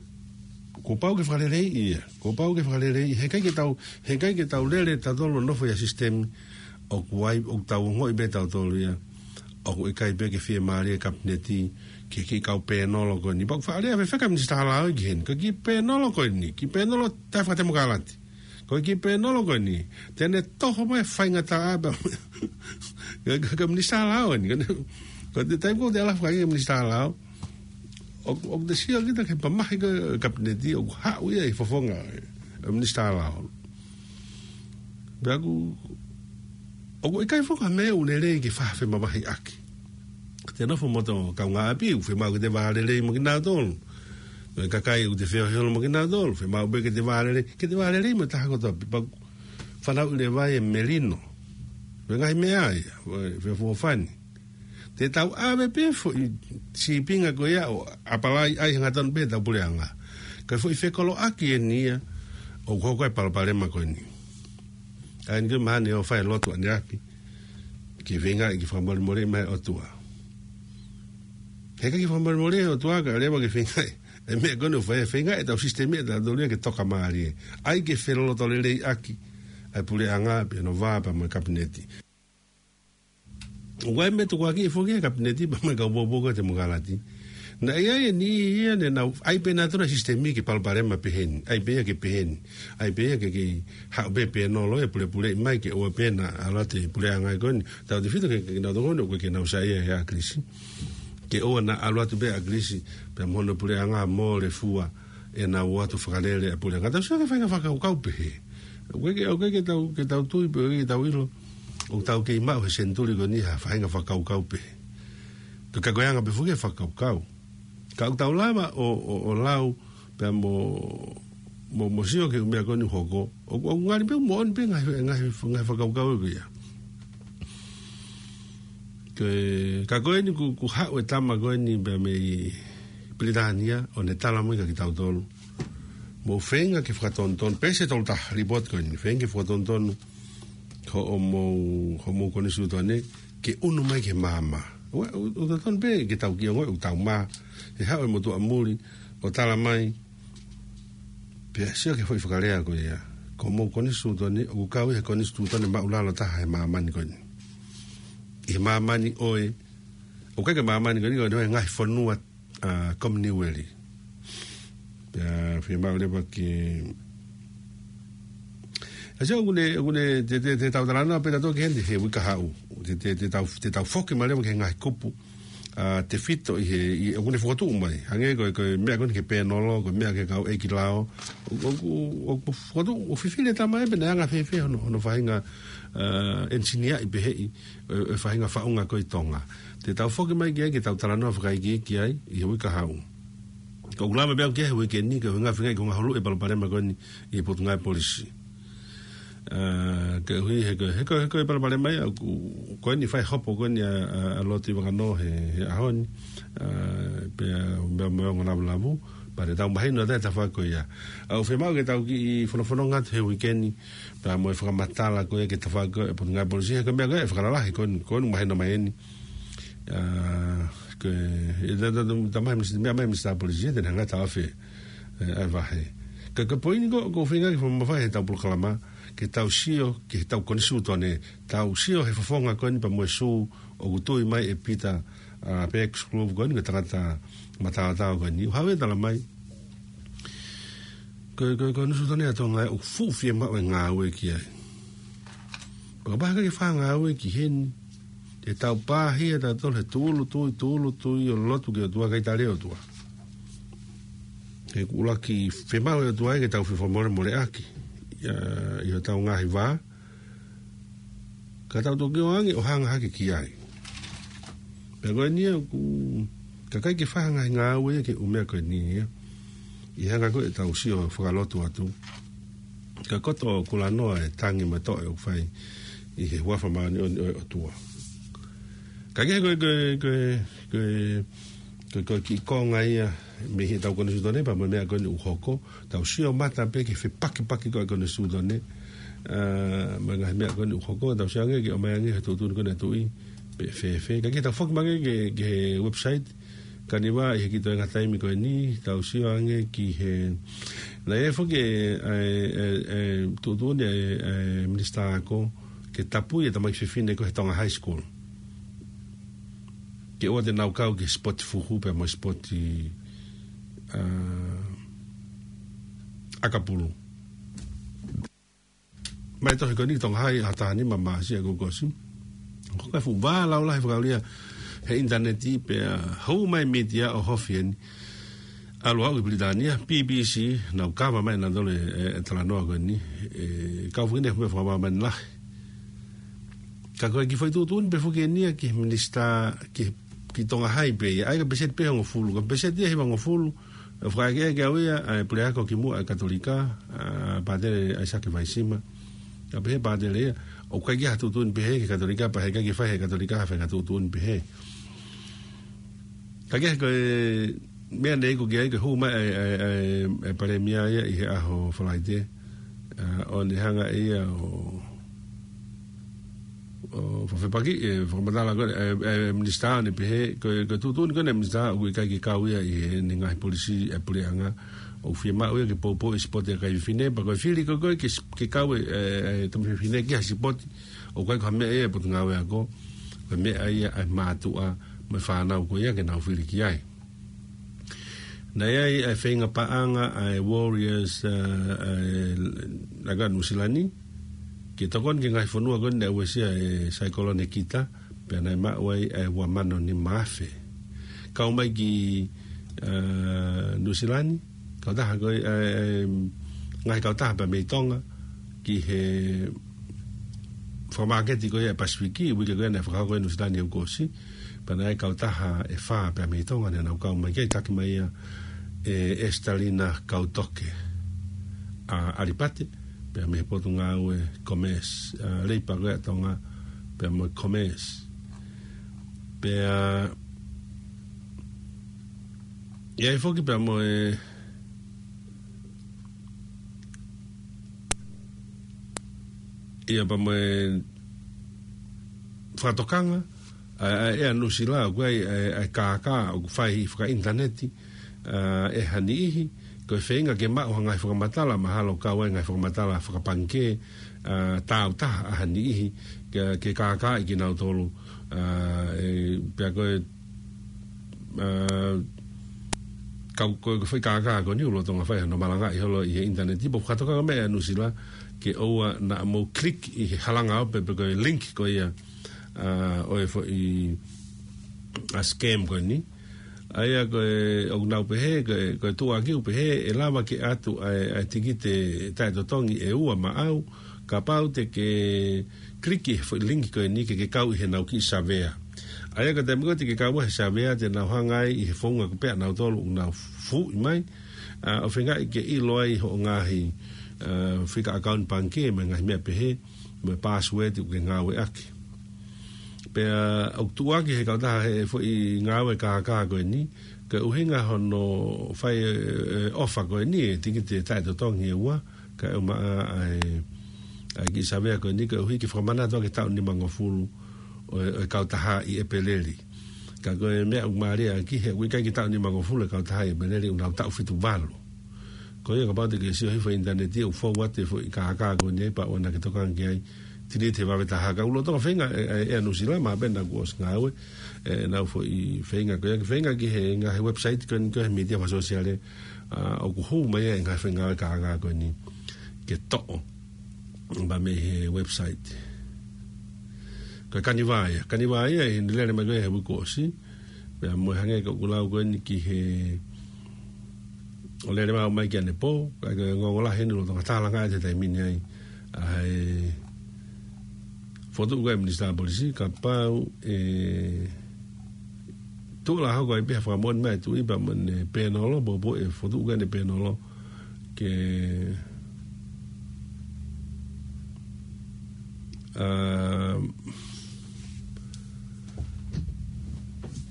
kuo pau ke fakaleleiʻi ia, kuo pau ke fakaleleiʻi, he ʻikai ke tau, he ʻikai ke tau lele tautolu ʻo nofo ʻi ha sisitemi ʻoku ʻi ai, ʻoku tau ongoʻi pē tautolu ia ʻoku ʻikai pē ke fiemālie e kapineti ki he kiʻi kau pēnolo ko eni. Pea ʻoku faʻa lea fefeka e minisitā lao ki heni, ko e kiʻi pēnolo ko eni, kiʻi pēnolo taʻefakatemokalati. Ko e kiʻi pēnolo ko eni, te ne toho mai e faingataʻa pē. Ka, ka, ka minisitā lao eni, ka ne, ko e taimi ko ē te ala fakaʻi e minisitā lao, ʻo, ʻoku te sio kita ki he mamahi ko ē e kapineti, ʻoku haʻu ia ʻi he fofonga e, e minisitā lao. Pea ʻoku, ʻoku ʻikai foki ha meʻa ʻoku lelei ke faʻa femamahiʻaki. Te nofo mo hoto kaungāʻapi, ʻoku fiemaʻu ke te vālelei mo kinautolu. Mo e kakai ʻoku te feohi holo mo kinautolu, fiemaʻu pē ke te vālelei, ke te vālelei mo e taha kotoa pē. Pea ʻoku fanauʻi leva e melino. Mo e ngaahi meʻa ia, mo e feʻofoʻofani. Te tau ʻave pē foʻi sīpinga ko ia ʻo ʻapalai ai hangatonu pē ʻetau puleʻanga. Ko e foʻi fekoloʻaki eni ia ʻoku hoko ai e palopalema ko eni. ʻA eni ko e mahalo ʻe fai e lotu ʻaneafi ke feingaʻi ke fakamolemoleʻi mai ʻOtua. He ʻikai ke fakamolemoleʻi ʻOtua kae ʻoua leva ke feingaʻi e meʻa ko eni ʻoku fai, feingaʻi ʻetau sisitemi ʻatautolu ia ke tokamālie. ʻAi ke felolotoleleiʻaki ʻa e puleʻanga pea mo e vā pea mo e kapineti. ʻOku ʻi ai e meʻa tukuakiʻi foki ʻe he kapineti pea mo e kau poupou ko e temokalati. Naʻe ʻi ai e niʻihi ia ne nau ʻai pē nautolu e sisitemi ke palopalema pehē ni, ʻai pē ia ke pehē ni, ʻai pē ia ke, ke haʻu pē pēnolo ia pulepuleʻi mai ke ʻoua pē naʻa ʻalu atu e puleʻanga ko eni. Tautefito ki he, kinautolu ko eni ʻoku ʻikai ke nau saiʻia he ʻAkilisi, ke ʻoua naʻa ʻalu atu pē ʻa ʻAkilisi pea mo hono puleʻanga mo le fua ʻenau ō atu ʻo fakalele ʻa e puleʻanga. Tau sio ki he faʻahinga fakakaukau pehē. ʻOku ʻikai ke, ʻoku ʻikai ke tau, ke tau tui pe ʻoku ʻikai ke tau ʻilo ʻoku tau kei maʻu he senituli ko eni ha faʻahinga fakakaukau pehē. Ka, ka ko e anga pē foki e fakakaukau. Ka ʻoku tau lava ʻo, ʻo, ʻo lau pea mo, mo, mo sio ki he ʻū meʻa ko eni ʻoku hoko. ʻOku, ʻoku ngali pē ʻoku moʻoni pē ngaahi, ngaahi, ngaahi fakakaukau ko ia. Ko e, ka ko eni kuo, kuo haʻu e tama ko eni pea mei Pilitānia ʻo ne tala mai kia kitautolu. Mou feinga ke fakatonutonu, peesi ʻe tolu taha, lipooti ko eni, feinga ke fakatonutonu hoʻomou, hoʻomou konisitūtone ke ʻunu mai ki he maama. ʻOua, ʻoku, ʻoku totonu pē ke tau kiʻi ongoʻi ʻoku tau mā, he haʻu e motuʻa muli ʻo tala mai, pea sio ki he foʻi fakalea ko ia. Ko homou konisitūtone, ʻoku kau ʻi he konisitūtone māʻulalo taha he māmani ko eni. ʻI he māmani ʻo e, ʻoku ʻikai ke māmani ko eni, ko e ngaahi fonua, ʻa, Kominiueli. Pea fiemaʻu leva ke, ʻa, sio, ʻoku ne, ʻoku ne, te, te, te tau talanoa pē tautolu ki heni he uike kahaʻu. Te, te, te tau, te tau foki mai leva ki he ngaahi kupu ʻa, tefito ʻi he, ʻi, ʻoku ne fokotuʻu mai. Hangē ko e, ko e meʻa ko eni ki he pēnolo, ko e meʻa ki he kau ʻeiki lao. ʻO, ʻo, ʻo, ʻo fokotuʻu, ʻo fifili e tama ia pe naʻe anga fēfē hono, hono faʻahinga, ʻa, ʻenisiniaʻi peheʻi e, e faʻahinga faʻunga ko ē ʻi Tonga. Te tau foki mai ki ai ke tau talanoa fakaikiiki ai ʻi he uike kahaʻu. Ka ʻoku lava pē au ki ai he uike ni, ko e ʻuhinga feingaʻi ke u ngahuluʻi e palopalema ko eni ʻi he Potungāue Polisi. ʻA, koeʻuhi he ko e, he ko e, he ko e palopalema ia, ʻoku, ko eni fai hopo ko eni ʻa, ʻa, ʻa Loti Vangano he, he ʻaho ni, ʻa, pea, pea mo e ongo lavulavu, pea te tau mahino atu e tafaʻaki ko ia. ʻOku fiemaʻu ke tau kiʻi fonofononga atu he uike ni, pea mo e fakamatala ko ia ki he tafaʻaki ko ē ʻa e Potungāue Polisi, he ko e meʻa ko ē ʻe fakalalahi ko eni, ko eni mahino mai eni. ʻA, ko e, ʻe ta, ta, ta, ta mai minisitā, meʻa mai minisitā polisi, te ne hanga ʻo taʻofi e, ʻa e vahe. Ka, ka ko e poini ko, ʻoku ou feinga ke fakamamafaʻi heʻetau polokalama, ke tau sio ki heʻetau konisitūtone, tau sio he fofonga ko eni pea mo e sū ʻoku tui mai ʻe Pita, ʻa, Peeki Sikulovu ko eni, ko e tangata mataotao ko eni. ʻOku haʻu ia ʻo tala mai, ko e, ko e, ko e konisitūtone ʻa Tonga ʻoku fuʻu fiemaʻu e ngāue ki ai. Pea kapau ʻe ʻikai ke fai ha ngāue ki heni, te tau pāhia tautolu he tūʻulutui, tūʻulutui ʻo lotu ki he ʻOtua kae ʻikai tali e ʻOtua. He ʻoku ʻuluaki fiemaʻu ʻe he ʻOtua ia ke tau fefakamolemoleʻaki, ʻa, ʻi hotau ngaahi vā, Ka tau toki ō ange ʻo hanga hake ki ai. Pea ko eni ia ʻoku, ka ʻikai ke fai ha ngaahi ngāue ia ke ʻumea ko eni ia. ʻI he hanga ko ē ʻetau sio fakalotu atu. Ka koto kulanoa e tangi mo e toʻe ʻoku fai ʻi he huafa māʻoniʻoni ʻo e ʻOtua. Ka kehe ko e, ko e, ko e, ko e, ko e, ko e kiʻi konga ia mei heʻetau konisitūtone pea mo e meʻa ko eni ʻoku hoko. Tau sio mata pē ki he fepakipaki ko ē konisitūtone. ʻA, mo e ngaahi meʻa ko eni ʻoku hoko, tau sio ange ke ʻomai ange he tuʻutuʻuni ko eni ʻa e tuʻi pe fēfē. Ka ke tau foki mai ange ki he, ki he website. Ka ne ʻi ai ha kiʻi toenga taimi ko eni, tau sio ange ki he, naʻe ʻi ai foki e, e, e, e tuʻutuʻuni e, e minisitā ako ke tapui e tamaiki fefine ko ē he Tonga High School. Ke ʻoua te nau kau ki he sipoti fuhu pea mo e sipoti, ʻa, ʻakapulu. Mai tohi ko eni Tonga High ʻaho taha nima Māsi ʻa ʻoku ʻosi. Ko e fuʻu vā laulahi fakaʻulia he ʻinitaneti pea hū mai mītia ʻo hofi eni. ʻAlu ʻo aʻu ki Pilitānia, B B C, nau kava mai nautolu e, e, e talanoa ko eni. E, kau foki eni he meʻa fakamāmani lahi. Ka ko e kiʻi foʻi tuʻutuʻuni pē foki eni ia ki he minisitā, ki, ki Tonga High pē ia, ʻa ia ko e peseti pē hongofulu, ko e peseti ia hivangofulu, ʻe fakaʻekeʻeke au ia, ʻa e puleako kimuʻa ʻa e Katolika, ʻa Pātele ʻAisake Vaisima. Ka pehē pātele ia, ʻoku ʻikai ke ʻi ai ha tuʻutuʻuni pehē ki he Katolika, pea heʻikai ke fai ʻe he Katolika ha faʻahinga tuʻutuʻuni pehē. Ka kehe ko e meʻa naʻe iku ki ai, ko e hū mai e, e, e, e palēmia ia ʻi he ʻaho Falaite, ʻa, ʻo ne hanga ia ʻo, ʻo fefepaki, e, fakamatala ko e, e, e, minisitā ʻo ne pehē, ko e, ko e tuʻutuʻuni ko eni minisitā, ʻoku ʻikai ke kau ia ʻi heʻene ngaahi polisi e puleʻanga, ʻoku fiemaʻu ia ke poupou e sipoti ʻa e kakai fefine, pea ko e fili ko ē ke, ke kau e, e, e tamaiki fefine ki ha sipoti, ʻoku ʻikai ko ha meʻa ia ʻa e potungāue ako, ko e meʻa ia ʻa e mātuʻa mo e fānau ko ia ke nau fili ki ai. Naʻe ʻi ai e feinga paʻanga ʻa e Warriors, ʻa, ʻa e laga Nuʻusila ni, ke tokoni ki he ngaahi fonua ko eni naʻe uesia ʻe Saikolone Kita, pea naʻe maʻu ai e ua mano nima afe. Kau mai ki, ʻa, Nuʻusila ni, kautaha ko e, ʻa, ʻa, ngaahi kautaha pea mei Tonga, ki he fakamāketi ko ia ʻa e Pasifiki, uike ko ia naʻe fakahoko ʻi Nuʻusila ni ʻaho kuo ʻosi, pea naʻe ʻi ai e kautaha ʻe fā pea mei Tonga naʻa nau kau mai ki ai, taki mai ia ʻe Estalina Kautoke, ʻa, ʻAlipate, pea mei he potungāue Commerce, ʻa, Leipa ko ia ʻa Tonga, pea mo e Commerce. Pea, ʻi ai foki pea mo e, ʻi ai pea mo e fakatokanga, ʻa, ʻa, ʻa Nuʻusila, ʻoku ʻi ai, ʻa, ʻa e kākā, ʻoku fai ʻi fakaʻinitaneti, ʻa, ʻe ha niʻihi, ko e feinga ke maʻu ha ngaahi fakamatala, mahalo kau ai ngaahi fakamatala fakapangikē, ʻa, tāutaha ʻa ha niʻihi, ke, ke kākaaʻi kinautolu, ʻa, e, pea ko e, ʻa, kau ko e foʻi kākā ko eni ʻoku lolotonga fai hono malangaʻi holo ʻi he ʻinitaneti, pea ʻoku fakatokanga mai ʻa Nuʻusila ke ʻoua naʻa mou click ʻi he halanga ope pe ko e link ko ia, ʻa, ʻo e foʻi, ʻa, scam ko eni. ʻA ia ko e, ʻoku nau pehē, ko e, ko e tuʻuaki ʻoku pehē, ʻe lava ke ʻatu ʻa e, ʻa e tikite taʻetotongi ʻe ua maʻau, kapau te ke click ʻi he foʻi link ko eni ke ke kau ʻi heʻenau kiʻi savea. ʻA ia ko e taimi ko ē te ke kau ai he savea te nau hanga ai ʻi he founga ko ē pea nautolu ʻoku nau fuʻi mai, ʻa, ʻo feingaʻi ke ʻilo ai hoʻo ngaahi, ʻa, fika account pangikē mo e ngaahi meʻa pehē, mo e password ʻoku ke ngāueʻaki. Pea ʻoku tuʻuaki he kautaha he foʻi ngāue kākā ko eni, ko e ʻuhinga hono fai e, e ʻofa ko eni e tikite taʻetotongi ʻe ua, kae ʻumaʻā ʻa e, ʻa e kiʻi savea ko eni, koeʻuhi ke fakamanatu ʻaki e taʻu nimangofulu ʻo e, ʻo e kautaha ʻi ʻEpeleli. Ka ko e meʻa ʻoku mālie ʻaki he ʻoku ʻikai ke taʻu nimangofulu e kautaha ʻi ʻEpeleli, ʻoku nau taʻu fitu valu. Ko ia kapau te ke sio hifo ʻi ʻinitaneti ʻoku fou atu e foʻi kākā ko eni ai pea ʻoua naʻa ke tokanga ki ai, delete he vave taha. Ka ʻoku lolotonga feinga ʻe, ʻe, ʻe Nuʻusila, mahalo pē naʻa kuo ʻosi ngāue ʻenau foʻi feinga ko ia, ke feinga ki he ngaahi website ko eni ko e mītia fakasōsiale, ʻa, ʻoku hū mai ai e ngaahi foʻi ngāue kākā ko eni ke toʻo pea mei he website. Ko e Kanivā ia, Kanivā ia ʻi heʻene lele mai ko ia he uike kuo ʻosi, pea mo e hangē ko ʻeku lau ko eni ki he, ʻo lele mai ʻo aʻu mai ki ʻanepō, ka ko e ongoongo lahi eni ʻoku lolotonga tālanga ʻi he taimi ni ai ʻa e fokotuʻu ko ē Minisitā Polisi, kapau ʻe tuʻu la hoko ai pē ha fakamoʻoni mai ʻa e Tuʻi pea mo ʻene pēnolo, pōpō ʻe fokotuʻu ko ē ʻene pēnolo ke, ā,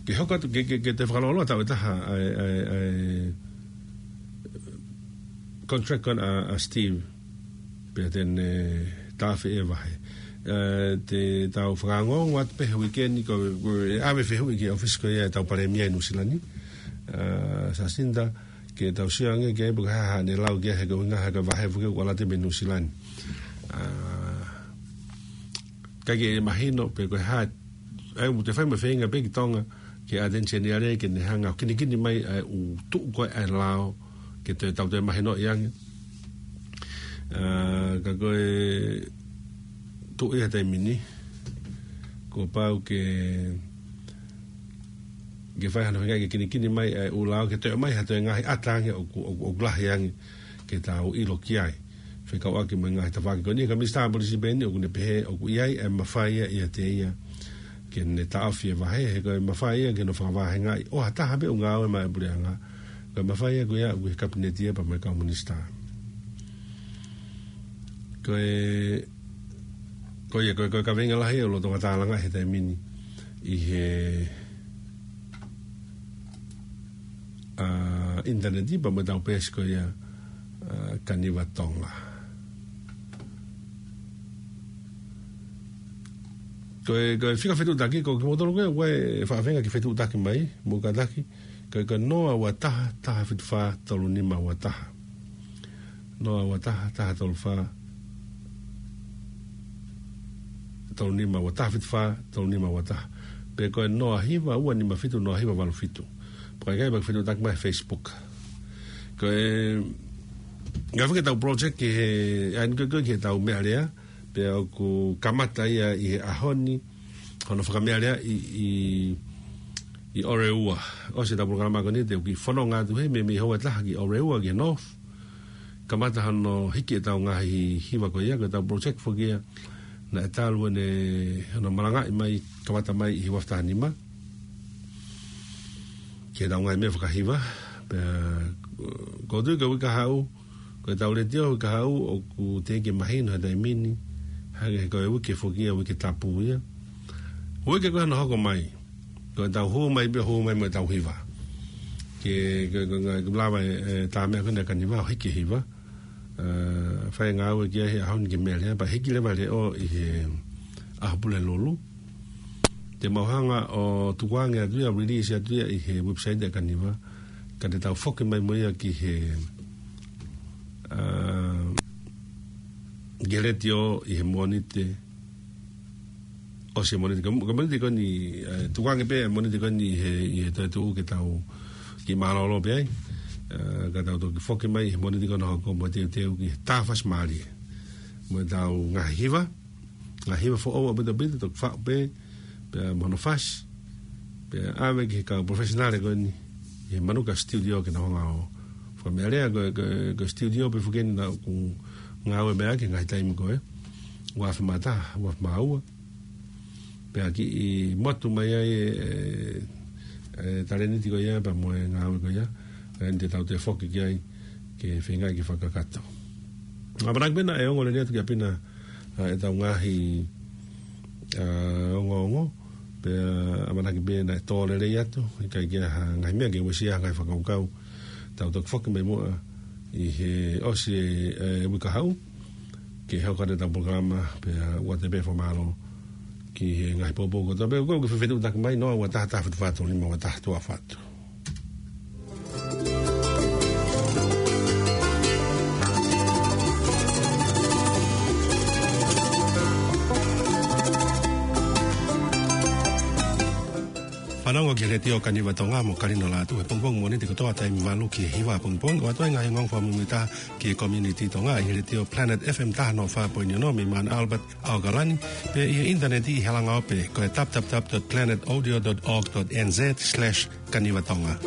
ke hoko atu, ke, ke, ke toe fakalōloa tau e taha ʻa e, ʻa e, ʻa e contract ko ena ʻa, ʻa Steve. Pea te ne taʻofi e vahe. Ē, te tau fakaongoongo atu pē he uike ni ko, ko e ʻave fehuʻi ki he ʻōfisi ko ia ʻetau Palēmia ʻi Nuʻusila ni. Ā, Jacinda, ke tau sio ange ki ai pe ko e hā haʻane lau ki ai he ko e ʻuhinga he ko e vahe foki ʻoku ʻalu atu mei Nuʻusila ni. Ā, ʻikai ke mahino pe ko e hā, ʻa ia ʻoku te fai mo e feinga pē ki Tonga, ke ʻateni seniale ke ne hanga ʻo kinikini mai ʻa e ʻū tuʻu ko ē ʻa e lao, ke toe tau toe mahinoʻi ange. Ā, ka ko e tuʻu ia he taimi ni, kuo pau ke, ke fai hano feinga ke kinikini mai ʻa e ʻū lao, ke toe ʻomai ha toe ngaahi ʻata ange ʻoku, ʻoku, ʻoku lahi ange ke tau ʻilo ki ai. Fekauʻaki mo e ngaahi tafaʻaki ko eni, ka Minisitā Polisi pē eni ʻoku ne pehē ʻoku ʻi ai e mafai ia ʻiate ia ke ne taʻofi e vahe, he ko e mafai ia ke ne fakavahengaʻi ʻo ha taha pē ʻoku ngāue maʻa e puleʻanga. Ko e mafai ia ko ia ʻoku ʻi he Kapineti ia pea mo e kau Minisitā. Ko e, ko ia, ko e, ko e kaveinga lahi ʻoku lolotonga tālanga he taimi ni ʻi he, ā, ʻinitaneti pea mo ʻetau peesi ko ia, ā, Kaniva Tonga. Ko e, ko e fika fetuʻutaki, ko kimoutolu ko ē ʻoku ʻi ai e faʻahinga ke fetuʻutaki mai, mou kātaki, ko e, ko e noa ua taha, taha fitu fā, tolu nima ua taha. Noa ua taha, taha tolu fā, tolu nima ua taha, fitu fā, tolu nima ua taha. Pe ko e noa hiva, ua nima fitu, noa hiva valu fitu. Pea ʻikai ke pehē pea ke fetuʻutaki mai he Facebook. Ko e, ngaahi fakaʻetau project ki he, ʻa eni ko ē ki heʻetau meʻalea, pea ʻoku kamata ia ʻi he ʻaho ni, hono fakameʻalea ʻi, ʻi, ʻi ʻOreua. ʻOsi ʻetau polokalama ko eni te u kiʻi fononga atu heni mei, mei he houa ʻe taha ki ʻOreua ki he North. Kamata hono hiki ʻetau ngaahi hiva ko ia, ko ʻetau project foki ia naʻe talu ʻene hono malangaʻi mai, kamata mai ʻi he ua afe taha nima. Ki heʻetau ngaahi meʻa fakahiva, pea ʻoku ou tui ko e uike kahaʻu, ko ʻetau letiō uike kahaʻu ʻoku teʻeki mahino he taimi ni, hangē ko e uike foki ia, uike tapu ia. Uike ko ē hono hoko mai, ko ʻetau hū mai pē, hū mai mo ʻetau hiva. Ke, ke, ke, ke lava e, e tā meʻa ko ena Kaniva ʻo hiki e hiva. Ā, fai e ngāue ki ai he ʻaho ni ki he meʻalea, pea hiki leva e leʻo ʻi he ʻaho Pulelulu. Te mau hanga ʻo tukuange atu ia, release atu ia ʻi he website ʻa e Kaniva. Ka te tau foki mai mo ia ki he, ā, ki he letiō ʻi he Mōnite. ʻOsi e Mōnite, ka, ka Mōnite ko eni, ē, tukuange pē Mōnite ko eni he, ʻi he toetuʻu ke tau kiʻi mālōlō pē ai. Ē, ka tau toki foki mai he Mōnite ko ena ʻo hoko mo e teuteu ki he tā fasi mālie. Mo ʻetau ngaahi hiva, ngaahi hiva foʻou ʻaupito ʻaupito, toki faʻu pē, pea mo hono fasi, pea ʻave ki he kau professional ko eni, ʻi he Manuka Studio ke nau hanga ʻo fakameʻalea, ko e, ko e, ko e studio pē foki eni naʻá ku ngāue mei ai ki he ngaahi taimi ko ē, ua afe mā taha, ua afe mā ua. Pea kiʻi motu mai ai e, e, e talēniti ko ia, pea mo e ngāue ko ia, ē, te tau toe foki ki ai, ke feingaʻi ke fakakakato. ʻAmanaki pē naʻe ongo lelei atu kia Pina, ā, ʻetau ngaahi, ā, ongoongo, pea ʻamanaki pē naʻe tō lelei atu, ʻikai ke ʻi ai ha ngaahi meʻa ke uesia ha ngaahi fakakaukau, tau toki foki mai muʻa ʻi he ʻosi e, e uike kahaʻu, ke hoko atu ʻetau polokalama, pea ʻoatu pē e fakamālō ki he ngaahi poupou kotoa pē, ko e ke fefetuʻutaki mai, noa ua taha, taha fitu fā, tolu nima ua taha, tuʻa ʻofa atu. Fanongo ki he Letiō Kaniva Tonga mo Kalino Lātū he pongipongi Mōnite kotoa taimi valu ki he hiva pongipongi, ʻoatu ai e ngaahi ongoongo fakamuimuitaha ki he community Tonga ʻi he Letiō Planet F M taha noa fā poini ono mei Mount Albert, ʻAokalani, pea ʻi he ʻinitaneti ʻi he langa ope, ko e w w w dot planet audio dot org dot n z slash kaniva tonga.